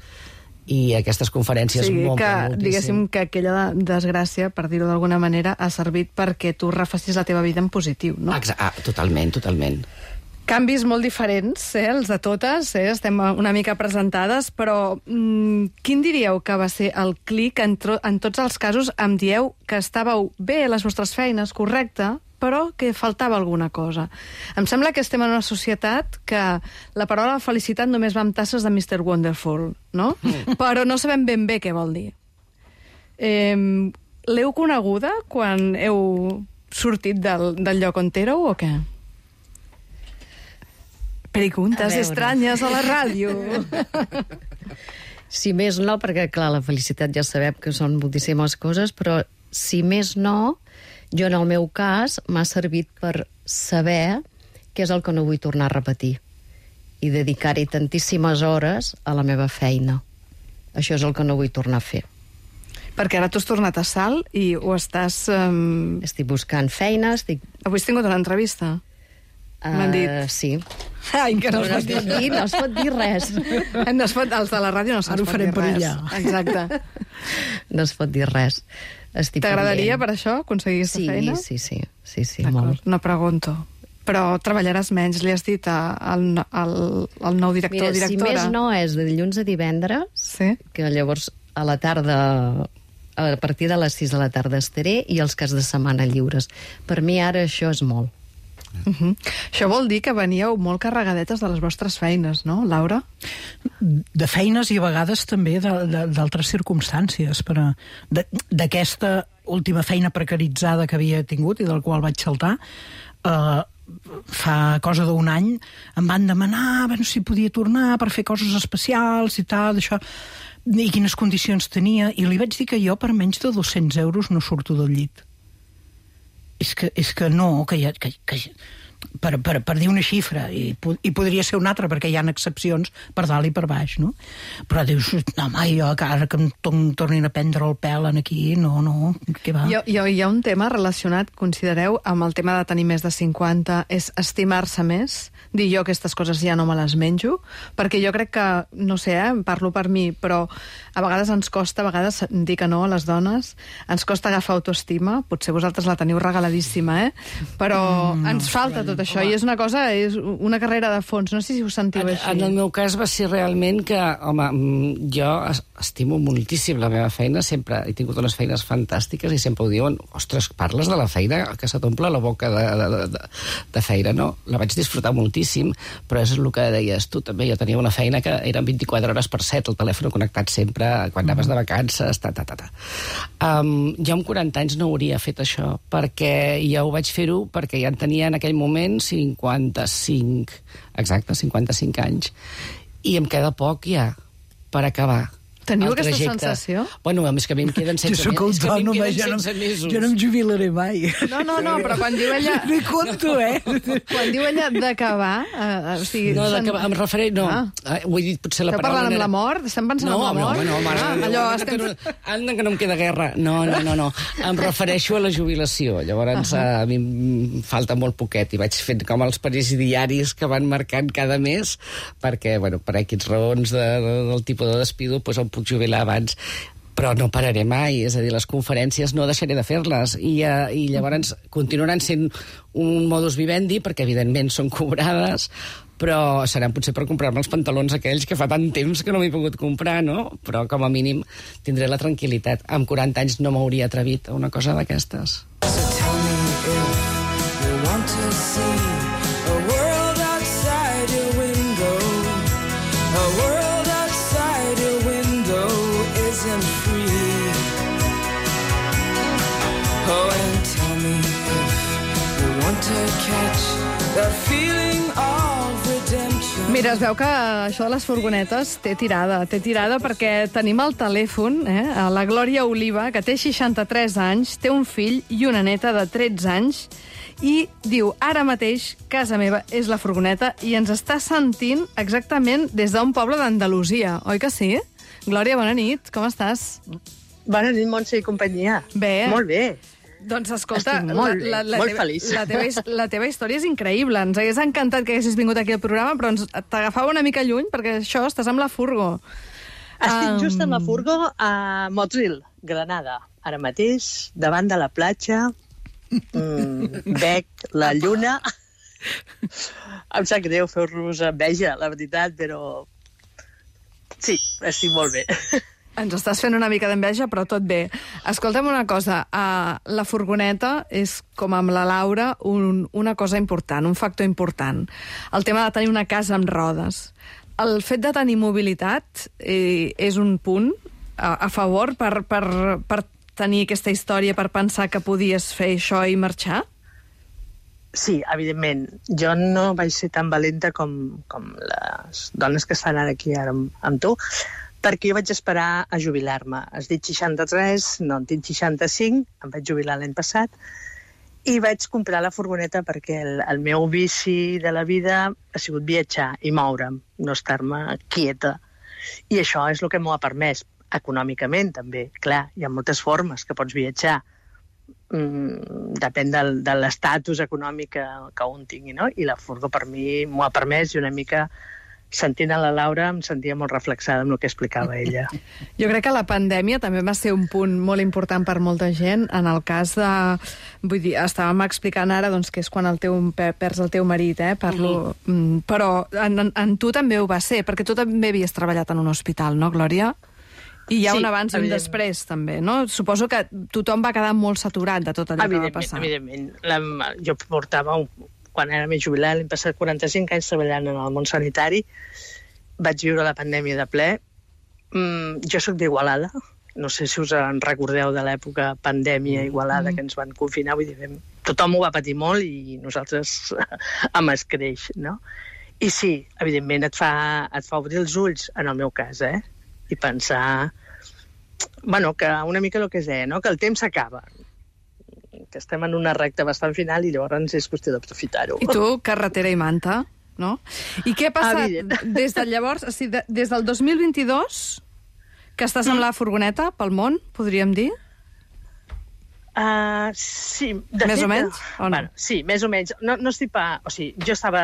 Speaker 6: I aquestes conferències
Speaker 1: sí,
Speaker 6: m'omplen
Speaker 1: que,
Speaker 6: moltíssim.
Speaker 1: diguéssim que aquella desgràcia, per dir-ho d'alguna manera, ha servit perquè tu refassis la teva vida en positiu, no?
Speaker 6: Exa ah, totalment, totalment.
Speaker 1: Canvis molt diferents, eh, els de totes, eh, estem una mica presentades, però mm, quin diríeu que va ser el clic? En, en tots els casos em dieu que estàveu bé a les vostres feines, correcte, però que faltava alguna cosa. Em sembla que estem en una societat que la paraula felicitat només va amb tasses de mister Wonderful, no? Mm. Però no sabem ben bé què vol dir. Eh, L'heu coneguda quan heu sortit del, del lloc on éreu o què? Preguntes estranyes a la ràdio.
Speaker 4: Si més no, perquè clar, la felicitat ja sabem que són moltíssimes coses, però si més no, jo en el meu cas m'ha servit per saber què és el que no vull tornar a repetir i dedicar-hi tantíssimes hores a la meva feina. Això és el que no vull tornar a fer.
Speaker 1: Perquè ara tu has tornat a Salt i ho estàs... Um...
Speaker 4: Estic buscant feina, estic...
Speaker 1: Avui has tingut una entrevista?
Speaker 4: Uh,
Speaker 1: M'han dit.
Speaker 4: Sí.
Speaker 1: Ai, que no,
Speaker 4: no, es pot dir, no es pot dir res.
Speaker 1: No es pot, els de la ràdio no se'ns pot dir res. Exacte.
Speaker 4: No es pot dir res.
Speaker 1: T'agradaria per això aconseguir aquesta
Speaker 4: sí,
Speaker 1: feina?
Speaker 4: Sí, sí, sí, sí, molt.
Speaker 1: No pregunto. Però treballaràs menys, li has dit al, al, al nou director o directora?
Speaker 4: Mira, si més no és de dilluns a divendres, sí? Que llavors a la tarda, a partir de les sis de la tarda estaré, i els caps de setmana lliures. Per mi ara això és molt.
Speaker 1: Uh -huh. Això vol dir que veníeu molt carregadetes de les vostres feines, no, Laura?
Speaker 5: De feines i a vegades també d'altres circumstàncies, però d'aquesta última feina precaritzada que havia tingut i del qual vaig saltar, eh, fa cosa d'un any em van demanar bueno, si podia tornar per fer coses especials i tal, això, i quines condicions tenia, i li vaig dir que jo per menys de dos-cents euros no surto del llit. És que, és que no, que, ha, que, que per, per, per dir una xifra, i, i podria ser una altra, perquè hi ha excepcions per dalt i per baix, no? Però dius, no, home, jo, que ara que em tornin a prendre el pèl en aquí, no, no, què va?
Speaker 1: Hi ha, hi ha un tema relacionat, considereu, amb el tema de tenir més de cinquanta, és estimar-se més, dir jo aquestes coses ja no me les menjo, perquè jo crec que, no sé, eh, parlo per mi, però a vegades ens costa, a vegades dir que no a les dones, ens costa agafar autoestima, potser vosaltres la teniu regaladíssima, eh? Però mm, ens falta tot això, home. I és una cosa, és una carrera de fons, no sé si ho sentiu
Speaker 6: en,
Speaker 1: així.
Speaker 6: En el meu cas va ser realment que, home, jo estimo moltíssim la meva feina, sempre he tingut unes feines fantàstiques i sempre ho diuen, ostres, parles de la feina que se t'omple la boca de, de, de, de feina, no? La vaig disfrutar moltíssim, però és el que deies tu també, jo tenia una feina que eren vint-i-quatre hores per set, el telèfon connectat sempre, quan anaves de vacances, ta, ta, ta, ta. Um, jo amb quaranta anys no hauria fet això, perquè ja ho vaig fer-ho, perquè ja en tenia en aquell moment cinquanta-cinc, exacte, cinquanta-cinc anys, i em queda poc ja per acabar.
Speaker 1: Teniu aquesta sensació?
Speaker 6: Bueno, a més que a mi em queden setze
Speaker 5: jo
Speaker 6: mesos.
Speaker 5: Jo no, jo no em jubilaré mai.
Speaker 1: No, no, no, però quan diu ella...
Speaker 5: No hi compto, eh?
Speaker 1: Quan diu ella d'acabar... Eh, o sigui,
Speaker 6: no, d'acabar, em refereix... No, ah. ho he dit potser la
Speaker 1: Esteu
Speaker 6: paraula...
Speaker 1: parlant amb la mort? Estem pensant
Speaker 6: no,
Speaker 1: en la mort?
Speaker 6: No, no, mare,
Speaker 1: ah, allò,
Speaker 6: anda,
Speaker 1: estem...
Speaker 6: que no, anda que no em queda guerra. No, no, no, no. Em refereixo a la jubilació. Llavors, uh -huh. a mi em falta molt poquet i vaig fent com els diaris que van marcant cada mes perquè, bueno, per aquests raons de, de, del tipus de despido, doncs em puc jubilar abans. Però no pararé mai, és a dir, les conferències no deixaré de fer-les i, uh, i llavors continuaran sent un modus vivendi perquè evidentment són cobrades, però seran potser per comprar-me els pantalons aquells que fa tant temps que no m'he pogut comprar, no? Però com a mínim tindré la tranquil·litat. Amb quaranta anys no m'hauria atrevit a una cosa d'aquestes.
Speaker 7: Want to see a world outside your window. that feeling of redemption.
Speaker 1: Mira, es veu que això de les furgonetes té tirada, té tirada perquè tenim al telèfon eh, a la Glòria Oliva, que té seixanta-tres anys, té un fill i una neta de tretze anys, i diu, ara mateix, casa meva és la furgoneta, i ens està sentint exactament des d'un poble d'Andalusia, oi que sí? Glòria, bona nit, com estàs?
Speaker 9: Bona nit, Montse i companyia.
Speaker 1: Bé.
Speaker 9: Molt bé.
Speaker 1: Doncs escolta,
Speaker 9: Estic molt bé,
Speaker 1: la, la, la
Speaker 9: molt
Speaker 1: teva,
Speaker 9: feliç.
Speaker 1: La teva, la teva història és increïble. Ens hagués encantat que haguessis vingut aquí al programa, però ens t'agafava una mica lluny, perquè això, estàs amb la furgo.
Speaker 9: Estic
Speaker 1: Um,
Speaker 9: just amb la furgo a Motril, Granada. Ara mateix, davant de la platja, mm, veig la lluna. Em sap greu fer-vos enveja, la veritat, però sí, estic molt bé.
Speaker 1: Ens estàs fent una mica d'enveja, però tot bé. Escolta'm una cosa, uh, la furgoneta és, com amb la Laura, un, una cosa important, un factor important. El tema de tenir una casa amb rodes. El fet de tenir mobilitat eh, és un punt a, a favor per, per, per tenir aquesta història, per pensar que podies fer això i marxar?
Speaker 9: Sí, evidentment. Jo no vaig ser tan valenta com, com les dones que estan ara aquí ara amb, amb tu, perquè jo vaig esperar a jubilar-me. Has dit seixanta-tres, no, en tinc seixanta-cinc, em vaig jubilar l'any passat, i vaig comprar la furgoneta perquè el, el meu vici de la vida ha sigut viatjar i moure'm, no estar-me quieta. I això és el que m'ho ha permès, econòmicament també. Clar, hi ha moltes formes que pots viatjar. Mm, depèn del, de l'estatus econòmic que, que un tingui, no? I la furgo per mi m'ho ha permès, i una mica sentint a la Laura em sentia molt reflexada amb el que explicava ella.
Speaker 1: Jo crec que la pandèmia també va ser un punt molt important per molta gent, en el cas de... Vull dir, estàvem explicant ara doncs, que és quan el teu, perds el teu marit, eh? Parlo, mm. Però en, en, en tu també ho va ser, perquè tu també havies treballat en un hospital, no, Glòria? I hi ha
Speaker 9: Sí,
Speaker 1: un abans i un després, també, no? Suposo que tothom va quedar molt saturat de tot allò que va passar.
Speaker 9: Evidentment, evidentment. La, jo portava, un, quan era més jubilat, l'hem passat quaranta-cinc anys treballant en el món sanitari, vaig viure la pandèmia de ple. Mm, jo sóc d'Igualada, no sé si us en recordeu de l'època pandèmia Igualada, mm. que ens van confinar, vull dir, vam, tothom ho va patir molt i nosaltres amb escreix, no? I sí, evidentment, et fa, et fa obrir els ulls, en el meu cas, eh? I pensar, bueno, que una mica el que és, eh, no? Que el temps s'acaba, que estem en una recta bastant final i llavors és qüestió d'aprofitar-ho.
Speaker 1: I tu, carretera i manta, no? I què ha passat
Speaker 9: Evident.
Speaker 1: des de llavors, o sigui, de, des del dos mil vint-i-dos, que estàs amb la furgoneta pel món, podríem dir?
Speaker 9: Uh, sí, de
Speaker 1: Més
Speaker 9: fet,
Speaker 1: o menys, o no?
Speaker 9: Bueno, sí, més o menys. No, no estic pa... O sigui, jo estava,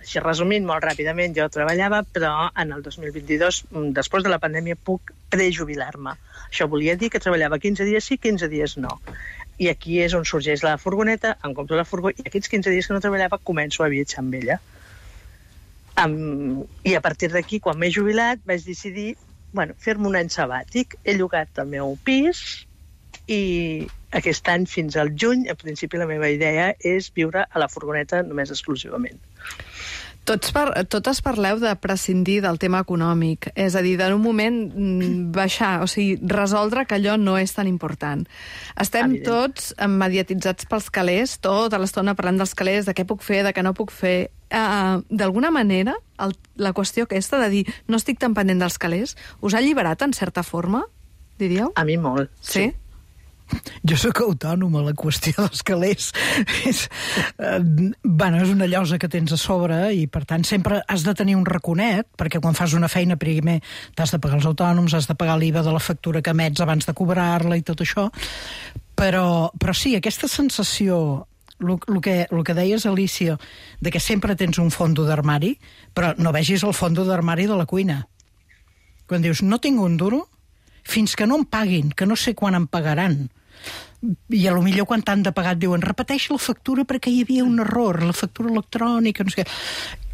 Speaker 9: així resumint molt ràpidament, jo treballava, però en el dos mil vint-i-dos, després de la pandèmia, puc prejubilar-me. Això volia dir que treballava quinze dies sí, quinze dies no. I aquí és on sorgeix la furgoneta, em compro la furgo, i aquests quinze dies que no treballava començo a viatjar amb ella. Um, I a partir d'aquí, quan m'he jubilat, vaig decidir, bueno, fer-me un any sabàtic. He llogat el meu pis i aquest any fins al juny, a principi la meva idea és viure a la furgoneta només exclusivament.
Speaker 1: Tots, par totes parleu de prescindir del tema econòmic, és a dir, en un moment baixar, o sigui, resoldre que allò no és tan important. Estem
Speaker 9: Evident.
Speaker 1: tots mediatitzats pels calés, tota l'estona parlant dels calés, de què puc fer, de què no puc fer. Uh, D'alguna manera, el, la qüestió aquesta de dir no estic tan pendent dels calés, us ha alliberat en certa forma, diríeu?
Speaker 9: A mi molt.
Speaker 1: Sí?
Speaker 5: Jo sóc autònoma, la qüestió dels calés és, eh, bueno, és una llosa que tens a sobre i, per tant, sempre has de tenir un raconet, perquè quan fas una feina primer t'has de pagar els autònoms, has de pagar l'I V A de la factura que emets abans de cobrar-la i tot això. Però, però sí, aquesta sensació, el que, el que deies, Alicia, de que sempre tens un fondo d'armari, però no vegis el fondo d'armari de la cuina. Quan dius, no tinc un duro, fins que no em paguin, que no sé quan em pagaran. I a lo millor quan t'han de pagar et diuen repeteix la factura perquè hi havia un error, la factura electrònica, no sé què.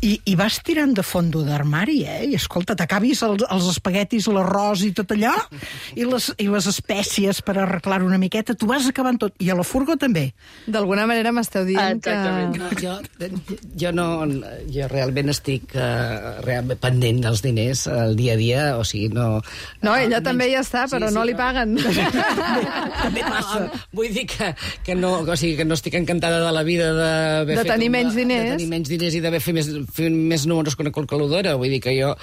Speaker 5: I, i vas tirant de fondo d'armari, eh? I escolta, t'acabis els, els espaguetis, l'arròs i tot allò, i les, i les espècies per arreglar una miqueta, tu vas acabant tot. I a la furgo també.
Speaker 1: D'alguna manera m'esteu dient que...
Speaker 6: No, jo, jo no... Jo realment estic uh, realment pendent dels diners al dia a dia, o sigui, no...
Speaker 1: No, ella
Speaker 6: almenys...
Speaker 1: també hi està, però
Speaker 6: sí,
Speaker 1: no
Speaker 6: sí,
Speaker 1: li paguen.
Speaker 5: També passa.
Speaker 6: Vull dir que, que, no, o sigui, que no estic encantada de la vida de...
Speaker 1: De tenir
Speaker 6: un,
Speaker 1: menys diners.
Speaker 6: De tenir menys diners i d'haver fet més, fer més números que una calculadora. Vull dir que jo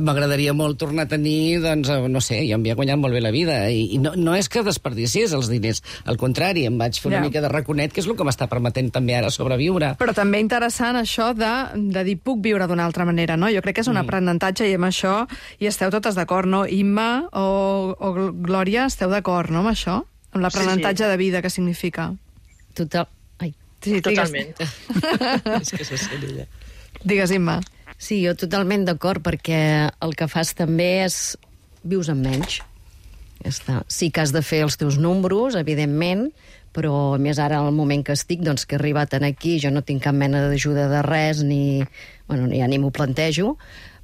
Speaker 6: m'agradaria molt tornar a tenir, doncs, no sé, jo em havia guanyat molt bé la vida. I, i no, no és que desperdiciés els diners, al contrari, em vaig fer una
Speaker 1: Ja.
Speaker 6: mica de raconet, que és el que m'està permetent també ara sobreviure.
Speaker 1: Però també interessant això de, de dir puc viure d'una altra manera, no? Jo crec que és un aprenentatge i amb això hi esteu totes d'acord, no? Imma o, o Glòria, esteu d'acord, no, amb això? Amb l'aprenentatge
Speaker 9: Sí, sí.
Speaker 1: de vida que significa.
Speaker 4: Total... Ai.
Speaker 1: Sí,
Speaker 9: Totalment.
Speaker 6: És que se sent ella.
Speaker 1: Digues, Imma.
Speaker 4: Sí, jo totalment d'acord, perquè el que fas també és... vius amb menys. Ja està. Sí que has de fer els teus números, evidentment, però a més ara, al moment que estic, doncs que he arribat aquí, jo no tinc cap mena d'ajuda de res, ni... Bueno, ja ni m'ho plantejo,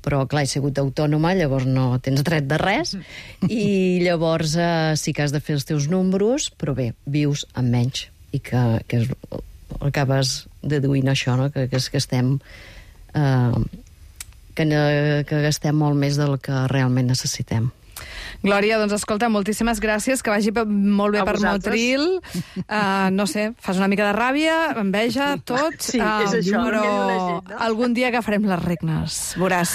Speaker 4: però clar, he sigut autònoma, llavors no tens dret de res, i llavors eh, sí que has de fer els teus números, però bé, vius amb menys, i que, que és, acabes deduint això, no? que, que, és que estem... Eh, que, ne, que gastem molt més del que realment necessitem.
Speaker 1: Glòria, doncs escolta, moltíssimes gràcies, que vagi pe- molt bé
Speaker 9: A
Speaker 1: per
Speaker 9: vosaltres.
Speaker 1: Motril. Uh, no sé, fas una mica de ràbia, enveja, tot.
Speaker 9: Sí, és això,
Speaker 1: però
Speaker 9: el que diu la gent, no?
Speaker 1: algun dia agafarem les regnes, veuràs.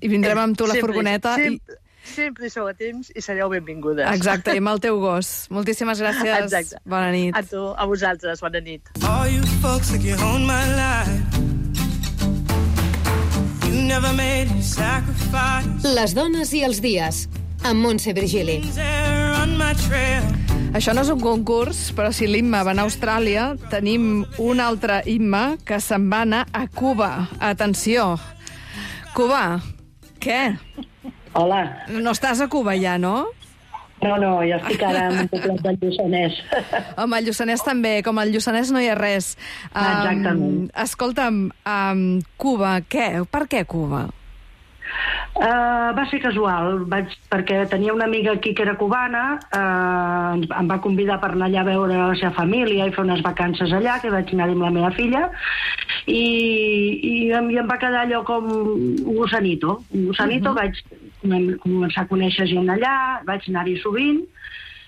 Speaker 1: I vindrem amb tu a la
Speaker 9: Sempre,
Speaker 1: furgoneta.
Speaker 9: Sempre, sempre hi sou a temps i sereu benvingudes.
Speaker 1: I... Exacte, i amb el teu gos. Moltíssimes gràcies.
Speaker 9: Exacte.
Speaker 1: Bona nit.
Speaker 9: A tu, a vosaltres, bona nit.
Speaker 10: All you folks like you own my life. You never made any sacrifice.
Speaker 3: Les dones i els dies, amb Montse Virgili.
Speaker 10: There on my trail.
Speaker 1: Això no és un concurs, però si l'Imma va anar a Austràlia, tenim un altre Imma que se'n va anar a Cuba. Atenció. Cuba, què?
Speaker 11: Hola.
Speaker 1: No estàs a Cuba ja, no?
Speaker 11: No, no, jo estic ara en un poblet del Lluçanès.
Speaker 1: Home, el Lluçanès també. Com al Lluçanès no hi ha res.
Speaker 11: Exactament.
Speaker 1: Um, escolta'm, um, Cuba, què? Per què Cuba?
Speaker 11: Uh, va ser casual, vaig, perquè tenia una amiga aquí que era cubana, uh, em va convidar per anar allà a veure la seva família i fer unes vacances allà, que vaig anar-hi amb la meva filla, i, i, em, i em va quedar allò com un gusanito. Un gusanito, uh -huh. vaig començar a conèixer gent allà, vaig anar-hi sovint,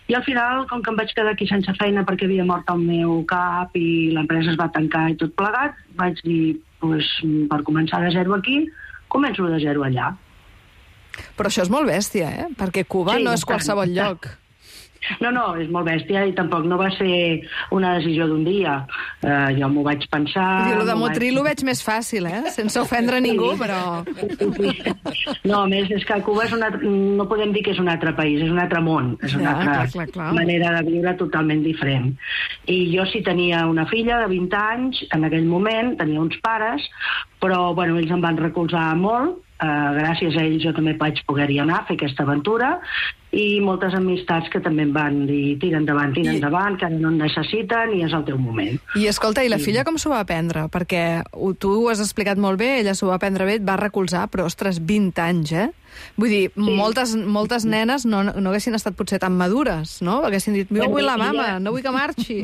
Speaker 11: i al final, com que em vaig quedar aquí sense feina perquè havia mort el meu cap i l'empresa es va tancar i tot plegat, vaig dir, pues, per començar de zero aquí, començo de zero allà.
Speaker 1: Però això és molt bèstia, eh? Perquè Cuba
Speaker 11: Sí,
Speaker 1: no és
Speaker 11: bastant,
Speaker 1: qualsevol
Speaker 11: bastant.
Speaker 1: lloc.
Speaker 11: No, no, és molt bèstia i tampoc no va ser una decisió d'un dia. Uh, jo m'ho vaig pensar...
Speaker 1: Vull dir, lo de
Speaker 11: m'ho
Speaker 1: Motril ho veig més fàcil, eh? Sense ofendre ningú, però...
Speaker 11: No, a més, és que Cuba és un altre, no podem dir que és un altre país, és un altre món, és una
Speaker 1: Ja,
Speaker 11: altra
Speaker 1: clar, clar, clar.
Speaker 11: manera de viure totalment diferent. I jo sí tenia una filla de vint anys, en aquell moment, tenia uns pares, però bueno, ells em van recolzar molt, uh, gràcies a ells jo també vaig poder-hi anar a fer aquesta aventura, i moltes amistats que també em van dir tira endavant, tira
Speaker 1: I...
Speaker 11: endavant, que ara no en necessiten i és el teu moment.
Speaker 1: I escolta, i la filla com s'ho va aprendre? Perquè ho- tu ho has explicat molt bé, ella s'ho va aprendre bé, et va recolzar, però, ostres, vint anys, eh? Vull dir, sí. moltes, moltes nenes no, no haguessin estat potser tan madures, no? Haguessin dit, jo vull la mama, no vull que marxi.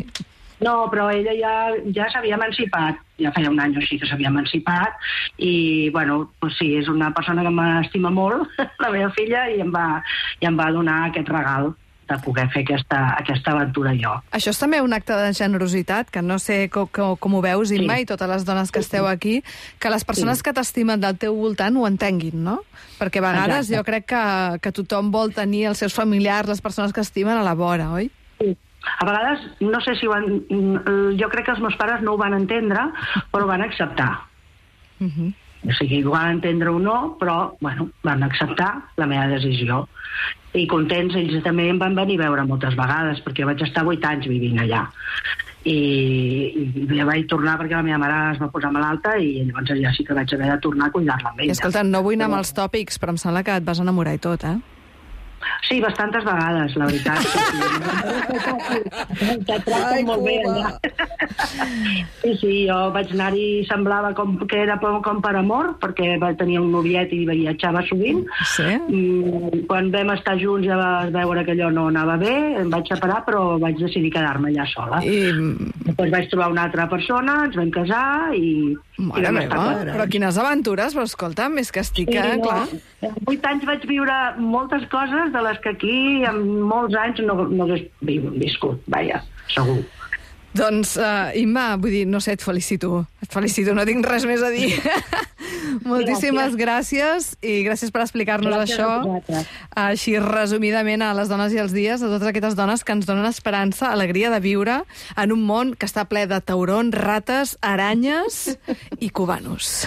Speaker 11: No, però ella ja, ja s'havia emancipat, ja feia un any o així que s'havia emancipat, i, bueno, pues sí, és una persona que m'estima molt, la meva filla, i em va, i em va donar aquest regal de poder fer aquesta, aquesta aventura jo.
Speaker 1: Això és també un acte de generositat, que no sé com, com, com ho veus, Imma,
Speaker 11: Sí.
Speaker 1: i totes les dones que esteu aquí, que les persones
Speaker 11: Sí.
Speaker 1: que t'estimen del teu voltant ho entenguin, no? Perquè a vegades
Speaker 11: Exacte.
Speaker 1: jo crec que, que tothom vol tenir els seus familiars, les persones que estimen, a la vora, oi?
Speaker 11: Sí. A vegades, no sé si ho van... Jo crec que els meus pares no ho van entendre, però ho van acceptar.
Speaker 1: Uh -huh.
Speaker 11: O sigui, ho van entendre o no, però, bueno, van acceptar la meva decisió. I contents, ells també em van venir a veure moltes vegades, perquè vaig estar vuit anys vivint allà. I, i ja vaig tornar perquè la meva mare es va posar malalta i llavors ja sí que vaig haver de tornar a cuidar-la amb ella.
Speaker 1: I escolta, no vull anar amb els tòpics, però em sembla que et vas enamorar i tot, eh?
Speaker 11: Sí, bastantes vegades, la veritat. Sí, sí. Te tracten molt bé allà. Sí, sí, jo vaig anar-hi, semblava com que era com per amor, perquè va tenir un noviet i viatjava sovint.
Speaker 1: Sí?
Speaker 11: Quan vam estar junts ja vas veure que allò no anava bé, em vaig separar, però vaig decidir quedar-me allà sola.
Speaker 1: I...
Speaker 11: Després vaig trobar una altra persona, ens vam casar i...
Speaker 1: Mare
Speaker 11: i vam
Speaker 1: meva,
Speaker 11: estar
Speaker 1: però quines aventures, però escolta, més que estic, eh?
Speaker 11: no,
Speaker 1: Clar.
Speaker 11: En vuit anys vaig viure moltes coses de les que aquí en molts anys no, no hagués viscut, vaja, segur.
Speaker 1: Doncs, uh, Imma, vull dir, no sé, et felicito. Et felicito, no tinc res més a dir. Moltíssimes gràcies. gràcies i gràcies per explicar-nos
Speaker 11: Gràcies
Speaker 1: això així resumidament a les dones i els dies, a totes aquestes dones que ens donen esperança, alegria de viure en un món que està ple de taurons, rates, aranyes i cubanos.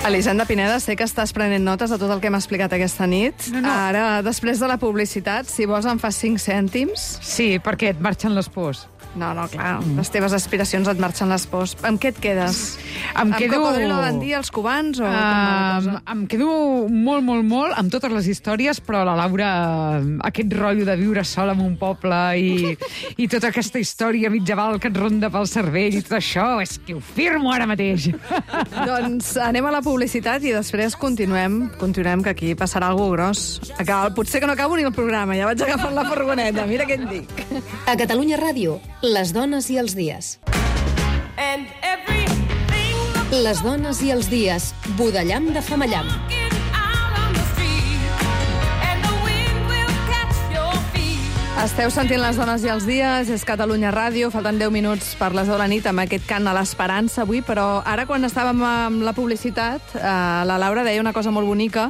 Speaker 1: Elisenda Pineda, sé que estàs prenent notes de tot el que hem explicat aquesta nit.
Speaker 8: No, no.
Speaker 1: Ara, després de la publicitat, si vols em fas cinc cèntims.
Speaker 8: Sí, perquè et marxen les pors.
Speaker 1: No, no, clar, les teves aspiracions et marxen les pors. Amb què et quedes?
Speaker 8: Em
Speaker 1: amb
Speaker 8: quedo...
Speaker 1: Cocodrilo Dandí, els cubans o...
Speaker 8: Um, em quedo molt, molt, molt amb totes les històries, però la Laura, aquest rotllo de viure sola en un poble i, i tota aquesta història mitjaval que et ronda pel cervell i tot això, és que ho firmo ara mateix.
Speaker 1: Doncs anem a la publicitat i després continuem, continuem que aquí passarà alguna gros. Acaba, potser que no acabo ni el programa, ja vaig agafant la furgoneta, mira què et dic.
Speaker 3: A Catalunya Ràdio, les dones i els dies. Les dones i els dies, Budellam de Femallam.
Speaker 1: Esteu sentint les dones i els dies, és Catalunya Ràdio, falten deu minuts per les deu de la nit amb aquest cant a l'esperança avui, però ara quan estàvem amb la publicitat, eh, la Laura deia una cosa molt bonica,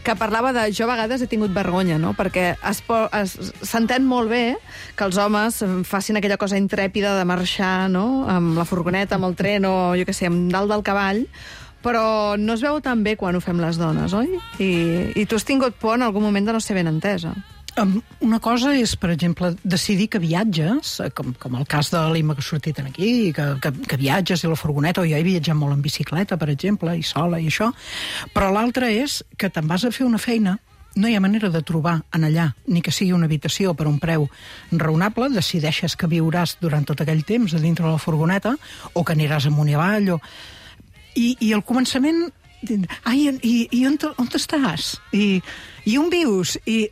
Speaker 1: que parlava de jo a vegades he tingut vergonya, no? Perquè es, es, s'entén molt bé que els homes facin aquella cosa intrèpida de marxar, no?, amb la furgoneta, amb el tren o, jo què sé, amb dalt del cavall, però no es veu tan bé quan ho fem les dones, oi? I, i tu has tingut por en algun moment de no ser ben entesa.
Speaker 5: Una cosa és, per exemple, decidir que viatges, com, com el cas de l'Imma que ha sortit aquí, que, que, que viatges i la furgoneta, o jo he viatjat molt en bicicleta, per exemple, i sola i això, però l'altra és que te'n vas a fer una feina, no hi ha manera de trobar en allà, ni que sigui una habitació per un preu raonable, decideixes que viuràs durant tot aquell temps a dintre de la furgoneta, o que aniràs amunt i avall, o... I, i al començament, ai, i, i on, on estàs? I, i on vius? I...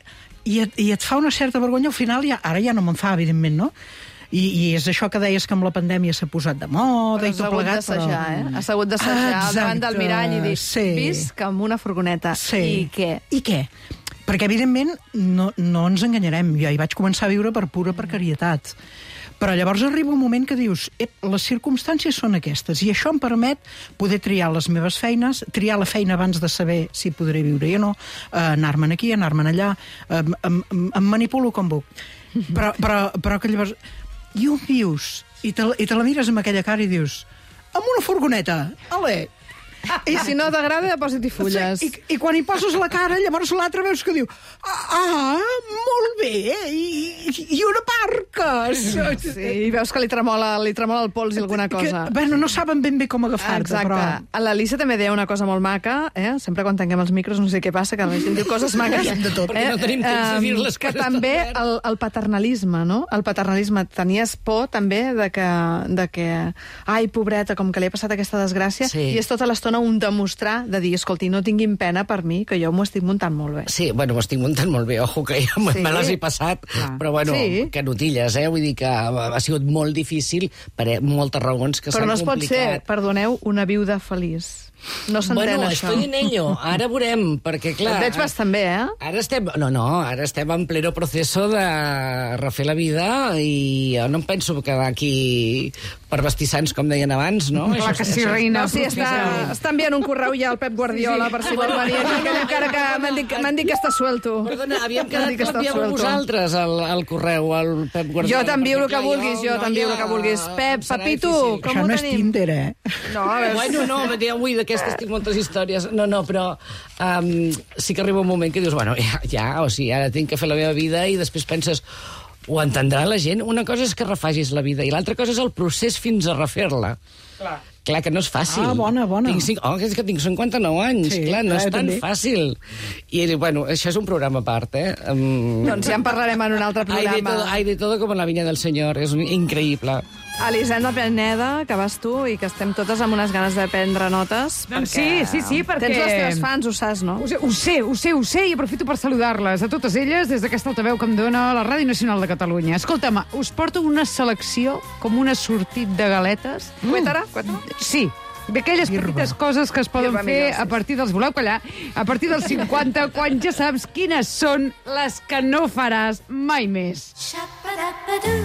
Speaker 5: I et, i et fa una certa vergonya, al final ja, ara ja no me'n fa, evidentment, no? I, I és això que deies que amb la pandèmia s'ha posat de moda
Speaker 1: però
Speaker 5: i tot plegat,
Speaker 1: però... Has hagut d'assajar, eh? Has hagut d'assajar al davant del mirall i dir,
Speaker 5: sí.
Speaker 1: visc amb una furgoneta.
Speaker 5: Sí.
Speaker 1: I què?
Speaker 5: I què? Perquè, evidentment, no, no ens enganyarem. Jo hi vaig començar a viure per pura precarietat. Però llavors arriba un moment que dius, les circumstàncies són aquestes, i això em permet poder triar les meves feines, triar la feina abans de saber si podré viure o no, eh, anar-me'n aquí, anar-me'n allà, eh, em, em, em manipulo com puc. Però, però, però que llavors... I on vius? I te, I te la mires amb aquella cara i dius, amb una furgoneta, ale...
Speaker 1: I si no t'agrada, posa-t'hi fulles.
Speaker 5: I, I quan hi poses la cara, llavors l'altre veus que diu ah, molt bé, i, i on aparques?
Speaker 1: Sí, i veus que li tremola, li tremola el pols i alguna cosa.
Speaker 5: Que, bueno, no saben ben bé com agafar-te,
Speaker 1: exacte.
Speaker 5: però...
Speaker 1: L'Elisa també deia una cosa molt maca, eh? Sempre quan tanquem els micros no sé què passa, que la gent diu coses maques.
Speaker 5: De tot.
Speaker 6: Perquè no tenim temps de dir les
Speaker 1: que
Speaker 6: coses.
Speaker 1: també el, el paternalisme, no? El paternalisme. Tenies por també de que, de que ai, pobreta, com que li ha passat aquesta desgràcia,
Speaker 6: sí.
Speaker 1: I és tota l'estona un demostrar de dir, escolti, no tinguin pena per mi, que jo m'ho estic muntant molt bé.
Speaker 6: Sí, bueno, m'ho estic muntant molt bé, ojo, que ja sí. me les he passat, ah. però bueno, sí. que notilles, eh? Vull dir que ha sigut molt difícil per moltes raons que s'han complicat.
Speaker 1: Però no es pot ser, perdoneu, una viuda feliç. No s'entén,
Speaker 6: bueno,
Speaker 1: això.
Speaker 6: Bueno, estoy en ello. Ara veurem, perquè, clar...
Speaker 1: Et veig bastant bé, eh?
Speaker 6: Ara estem... No, no, ara estem en pleno proceso de refer la vida i jo no em penso quedar aquí per vestissants, com deien abans, no?
Speaker 8: Clar
Speaker 6: això,
Speaker 8: que sí,
Speaker 6: això...
Speaker 8: reina.
Speaker 1: No, sí, està, està enviant un correu ja al Pep Guardiola sí. per si vol venir. Que encara que m'han dit, m'han dit que està suelto.
Speaker 6: Perdona, havíem quedat que envieu vosaltres el, el correu al Pep Guardiola.
Speaker 1: Jo t'envio el que vulguis, jo t'envio el que vulguis. Pep, Pepito, com
Speaker 5: això
Speaker 1: ho
Speaker 5: no
Speaker 1: tenim?
Speaker 5: És Tinder, eh?
Speaker 1: No, a veure...
Speaker 6: Bueno, no, avui d'aquestes tinc moltes històries. No, no, però um, sí que arriba un moment que dius, bueno, ja, ja, o sigui, ara tinc que fer la meva vida i després penses, ho entendrà la gent? Una cosa és que refagis la vida i l'altra cosa és el procés fins a refer-la. Clar. Clar, que no és fàcil.
Speaker 5: Ah, bona, bona.
Speaker 6: Tinc cinc... Oh, és que tinc cinquanta-nou anys.
Speaker 5: Sí,
Speaker 6: clar, no
Speaker 5: clar,
Speaker 6: és tan
Speaker 5: també.
Speaker 6: fàcil. I, bueno, això és un programa a part, eh? Um...
Speaker 1: Doncs ja en parlarem en un altre programa.
Speaker 6: Hay de todo, hay de todo como en la viña del Señor. És increïble.
Speaker 1: Elisenda Pineda, que vas tu i que estem totes amb unes ganes de prendre notes.
Speaker 8: Doncs sí, sí, sí, perquè...
Speaker 1: Tens les teves fans, ho saps, no?
Speaker 8: Ho sé, ho sé, ho sé, ho sé, i aprofito per saludar-les a totes elles des d'aquesta altaveu que em dona la Ràdio Nacional de Catalunya. Escolta'm, us porto una selecció com una sortit de galetes.
Speaker 1: Cuétara?
Speaker 8: Sí, d'aquelles petites coses que es poden
Speaker 1: Irba
Speaker 8: fer
Speaker 1: millor, sí.
Speaker 8: a partir dels... Voleu callar? A partir dels cinquanta, quan ja saps quines són les que no faràs mai més.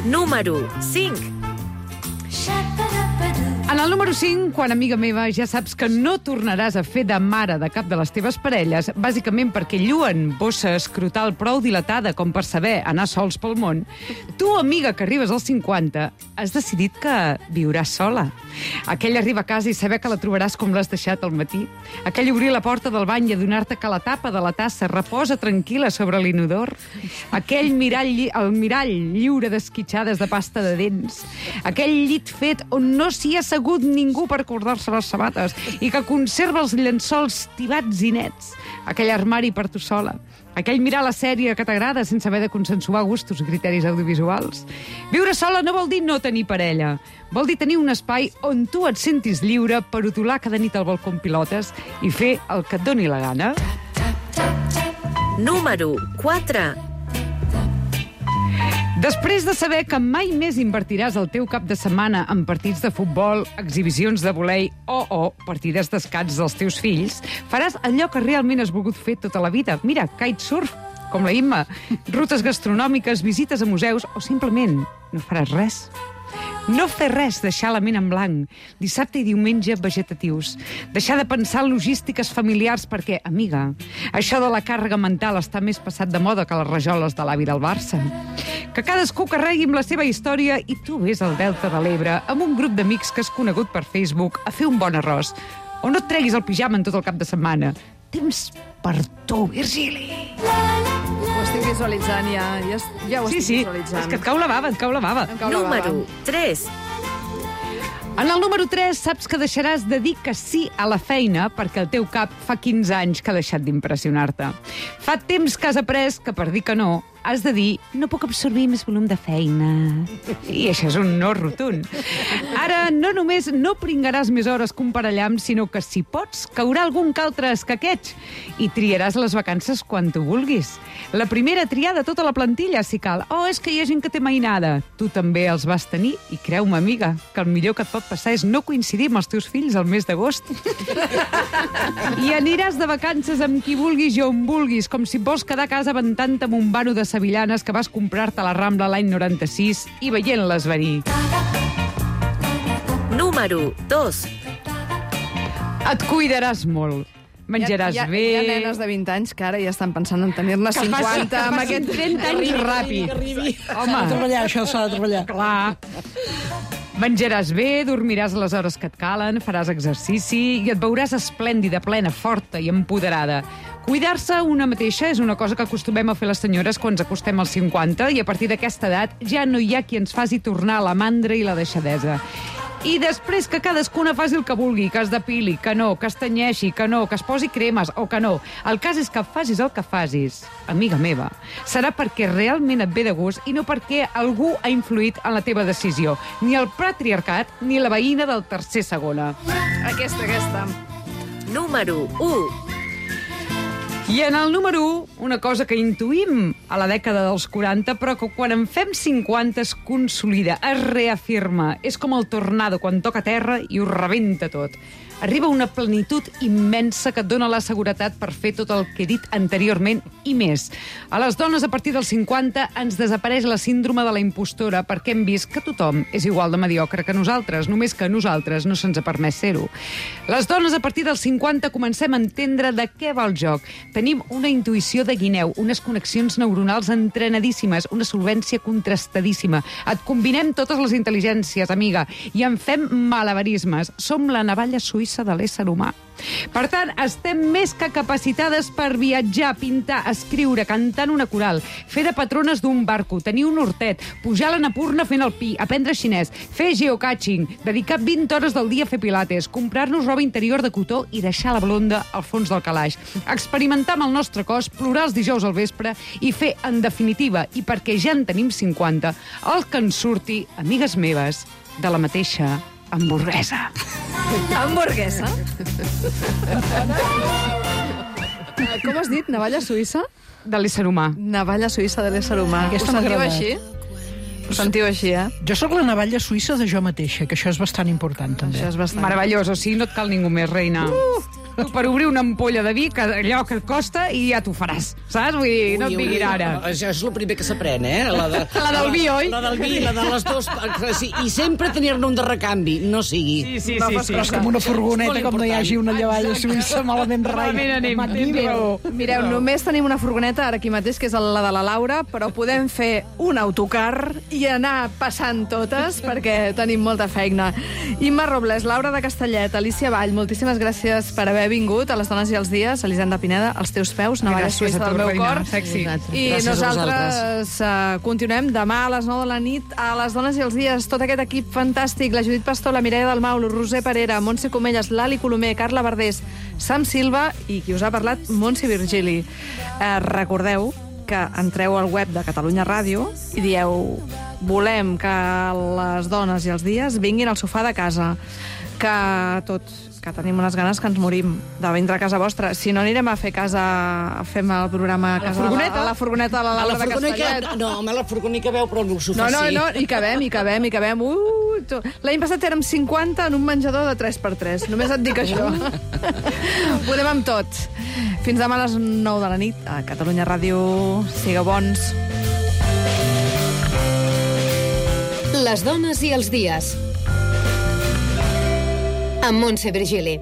Speaker 3: Número cinc.
Speaker 8: En el número cinc, quan, amiga meva, ja saps que no tornaràs a fer de mare de cap de les teves parelles, bàsicament perquè lluen bossa escrotal prou dilatada com per saber anar sols pel món, tu, amiga, que arribes als cinquanta, has decidit que viuràs sola. Aquell arribar a casa i saber que la trobaràs com l'has deixat al matí. Aquell obrir la porta del bany i adonar-te que la tapa de la tassa reposa tranquil·la sobre l'inodor. Aquell mirall, lli- el mirall lliure d'esquitxades de pasta de dents. Aquell llit fet on no s'hi ha assegut ningú per acordar-se les sabates i que conserva els llençols tibats i nets. Aquell armari per tu sola. Aquell mirar la sèrie que t'agrada sense haver de consensuar gustos i criteris audiovisuals. Viure sola no vol dir no tenir parella. Vol dir tenir un espai on tu et sentis lliure per utolar cada nit al balcó amb pilotes i fer el que et doni la gana.
Speaker 3: Número quatre.
Speaker 8: Després de saber que mai més invertiràs el teu cap de setmana en partits de futbol, exhibicions de volei o, o partides d'escacs dels teus fills, faràs allò que realment has volgut fer tota la vida. Mira, kitesurf, com la Imma, rutes gastronòmiques, visites a museus o simplement no faràs res. No fer res, deixar la ment en blanc. Dissabte i diumenge vegetatius. Deixar de pensar en logístiques familiars perquè, amiga, això de la càrrega mental està més passat de moda que les rajoles de l'avi del Barça. Que cadascú carregui amb la seva història i tu vés al Delta de l'Ebre amb un grup d'amics que has conegut per Facebook a fer un bon arròs. O no et treguis el pijama en tot el cap de setmana. Temps per tu, Virgili.
Speaker 1: Ho estic visualitzant, ja, ja, ja ho
Speaker 8: Sí,
Speaker 1: estic
Speaker 8: sí,
Speaker 1: visualitzant.
Speaker 8: és que et cau la bava, et cau la bava.
Speaker 1: Em cau la bava.
Speaker 3: Número tres.
Speaker 8: En el número tres saps que deixaràs de dir que sí a la feina perquè el teu cap fa quinze anys que ha deixat d'impressionar-te. Fa temps que has après que per dir que no has de dir no puc absorbir més volum de feina. I això és un no rotund. Ara no només no pringaràs més hores que un parellam, sinó que si pots caurà algun que altre escaqueig i triaràs les vacances quan tu vulguis. La primera triada tota la plantilla, si cal. Oh, és que hi ha gent que té mainada. Tu també els vas tenir i creu-me, amiga, que el millor que et pot passar és no coincidir amb els teus fills al mes d'agost. I aniràs de vacances amb qui vulguis i on vulguis, com si vols quedar a casa ventant-te amb un vano de sevillanes que vas comprar-te a la Rambla l'any noranta-sis i veient-les venir.
Speaker 3: Número dos.
Speaker 8: Et cuidaràs molt. Menjaràs
Speaker 1: hi ha, hi ha,
Speaker 8: bé...
Speaker 1: Hi ha nenes de vint anys que ara ja estan pensant en tenir-ne
Speaker 8: Que
Speaker 1: cinquanta
Speaker 8: passi- que
Speaker 1: amb
Speaker 8: passin
Speaker 1: aquest
Speaker 8: trenta anys ràpid.
Speaker 5: S'ha de treballar, això s'ha de treballar.
Speaker 8: Clar. Menjaràs bé, dormiràs a les hores que et calen, faràs exercici i et veuràs esplèndida, plena, forta i empoderada. Cuidar-se una mateixa és una cosa que acostumem a fer les senyores quan ens acostem als cinquanta i a partir d'aquesta edat ja no hi ha qui ens faci tornar a la mandra i la deixadesa. I després que cadascuna faci el que vulgui, que es depili, que no, que es tenyeixi, que no, que es posi cremes o que no. El cas és que facis el que facis, amiga meva, serà perquè realment et ve de gust i no perquè algú ha influït en la teva decisió. Ni el patriarcat ni la veïna del tercer segona.
Speaker 1: Aquesta, aquesta.
Speaker 3: Número u.
Speaker 8: I en el número u, una cosa que intuïm a la dècada dels quaranta, però que quan en fem cinquanta es consolida, es reafirma. És com el tornado quan toca terra i ho rebenta tot. Arriba una plenitud immensa que et dona la seguretat per fer tot el que he dit anteriorment i més. A les dones a partir dels cinquanta ens desapareix la síndrome de la impostora perquè hem vist que tothom és igual de mediocre que nosaltres, només que a nosaltres no se'ns ha permès ser-ho. Les dones a partir dels cinquanta comencem a entendre de què va el joc. Tenim una intuïció de guineu, unes connexions neuronals entrenadíssimes, una solvència contrastadíssima. Et combinem totes les intel·ligències, amiga, i en fem malabarismes. Som la navalla suïssa de l'ésser humà. Per tant, estem més que capacitades per viatjar, pintar, escriure, cantar en una coral, fer de patrones d'un barco, tenir un hortet, pujar a l'Annapurna fent el pi, aprendre xinès, fer geocaching, dedicar vint hores del dia a fer pilates, comprar-nos roba interior de cotó i deixar la blonda al fons del calaix, experimentar amb el nostre cos, plorar els dijous al vespre i fer, en definitiva, i perquè ja en tenim cinquanta, el que ens surti, amigues meves, de la mateixa hamburguesa.
Speaker 1: Hamburguesa? Com has dit? Navalla suïssa?
Speaker 8: De l'ésser humà.
Speaker 1: Navalla suïssa de l'ésser humà.
Speaker 5: Aquesta
Speaker 1: Ho
Speaker 5: m'ha
Speaker 1: sentiu
Speaker 5: agradat.
Speaker 1: així? Ho sentiu així, eh?
Speaker 5: Jo sóc la navalla suïssa de jo mateixa, que això és bastant important, també.
Speaker 1: Això és bastant...
Speaker 8: Meravellós, o sigui, no et cal ningú més, reina. Uh! Tu per obrir una ampolla de vi, que allò que et costa, i ja t'ho faràs, saps? Vull dir, no et diguin ara.
Speaker 6: Això és el primer que s'aprèn, eh? La, de,
Speaker 8: La del vi, oi?
Speaker 6: La del vi, la de les dues... Sí, i sempre tenir-ne un de recanvi, no sigui.
Speaker 8: Sí, sí,
Speaker 1: No
Speaker 8: sí.
Speaker 1: fas
Speaker 8: sí.
Speaker 5: Però és com una furgoneta,
Speaker 6: És molt
Speaker 5: com no hi hagi una navalla suïssa, malament rai.
Speaker 8: Malament anem, tens raó.
Speaker 1: Mireu, només tenim una furgoneta ara aquí mateix, que és la de la Laura, però podem fer un autocar i anar passant totes, perquè tenim molta feina. Imma Robles, Laura de Castellet, Alicia Vall, moltíssimes gràcies per haver vingut a les dones i els dies. Elisenda Pineda, als teus peus, navalla
Speaker 8: Gràcies
Speaker 1: suïssa
Speaker 8: a tu,
Speaker 1: del meu
Speaker 8: reina,
Speaker 1: cor.
Speaker 8: sexy.
Speaker 1: I
Speaker 6: Gràcies a
Speaker 1: nosaltres uh, continuem demà a les nou de la nit a les dones i els dies. Tot aquest equip fantàstic, la Judit Pastor, la Mireia Dalmau, la Roser Parera, Montse Comelles, l'Ali Colomer, Carla Verdés, Sam Silva i qui us ha parlat, Montse Virgili. Uh, recordeu que entreu al web de Catalunya Ràdio i dieu volem que les dones i els dies vinguin al sofà de casa, que tots que tenim unes ganes que ens morim de vindre a casa vostra. Si no, anirem a fer casa... Fem el programa a casa
Speaker 8: furgoneta?
Speaker 1: de la, a la furgoneta de la
Speaker 6: A la
Speaker 1: Laura de
Speaker 6: furgonica...
Speaker 1: Castellet.
Speaker 6: No, home, la furgonica veu, però el sofà
Speaker 1: No, no,
Speaker 6: sí.
Speaker 1: no, hi cabem, hi cabem, hi cabem. Uh, tu- L'any passat érem cinquanta en un menjador de tres per tres. Només et dic això. Podem amb tot. Fins demà a les nou de la nit a Catalunya Ràdio. Sigueu bons.
Speaker 3: Les dones i els dies. Amb Montse Virgili.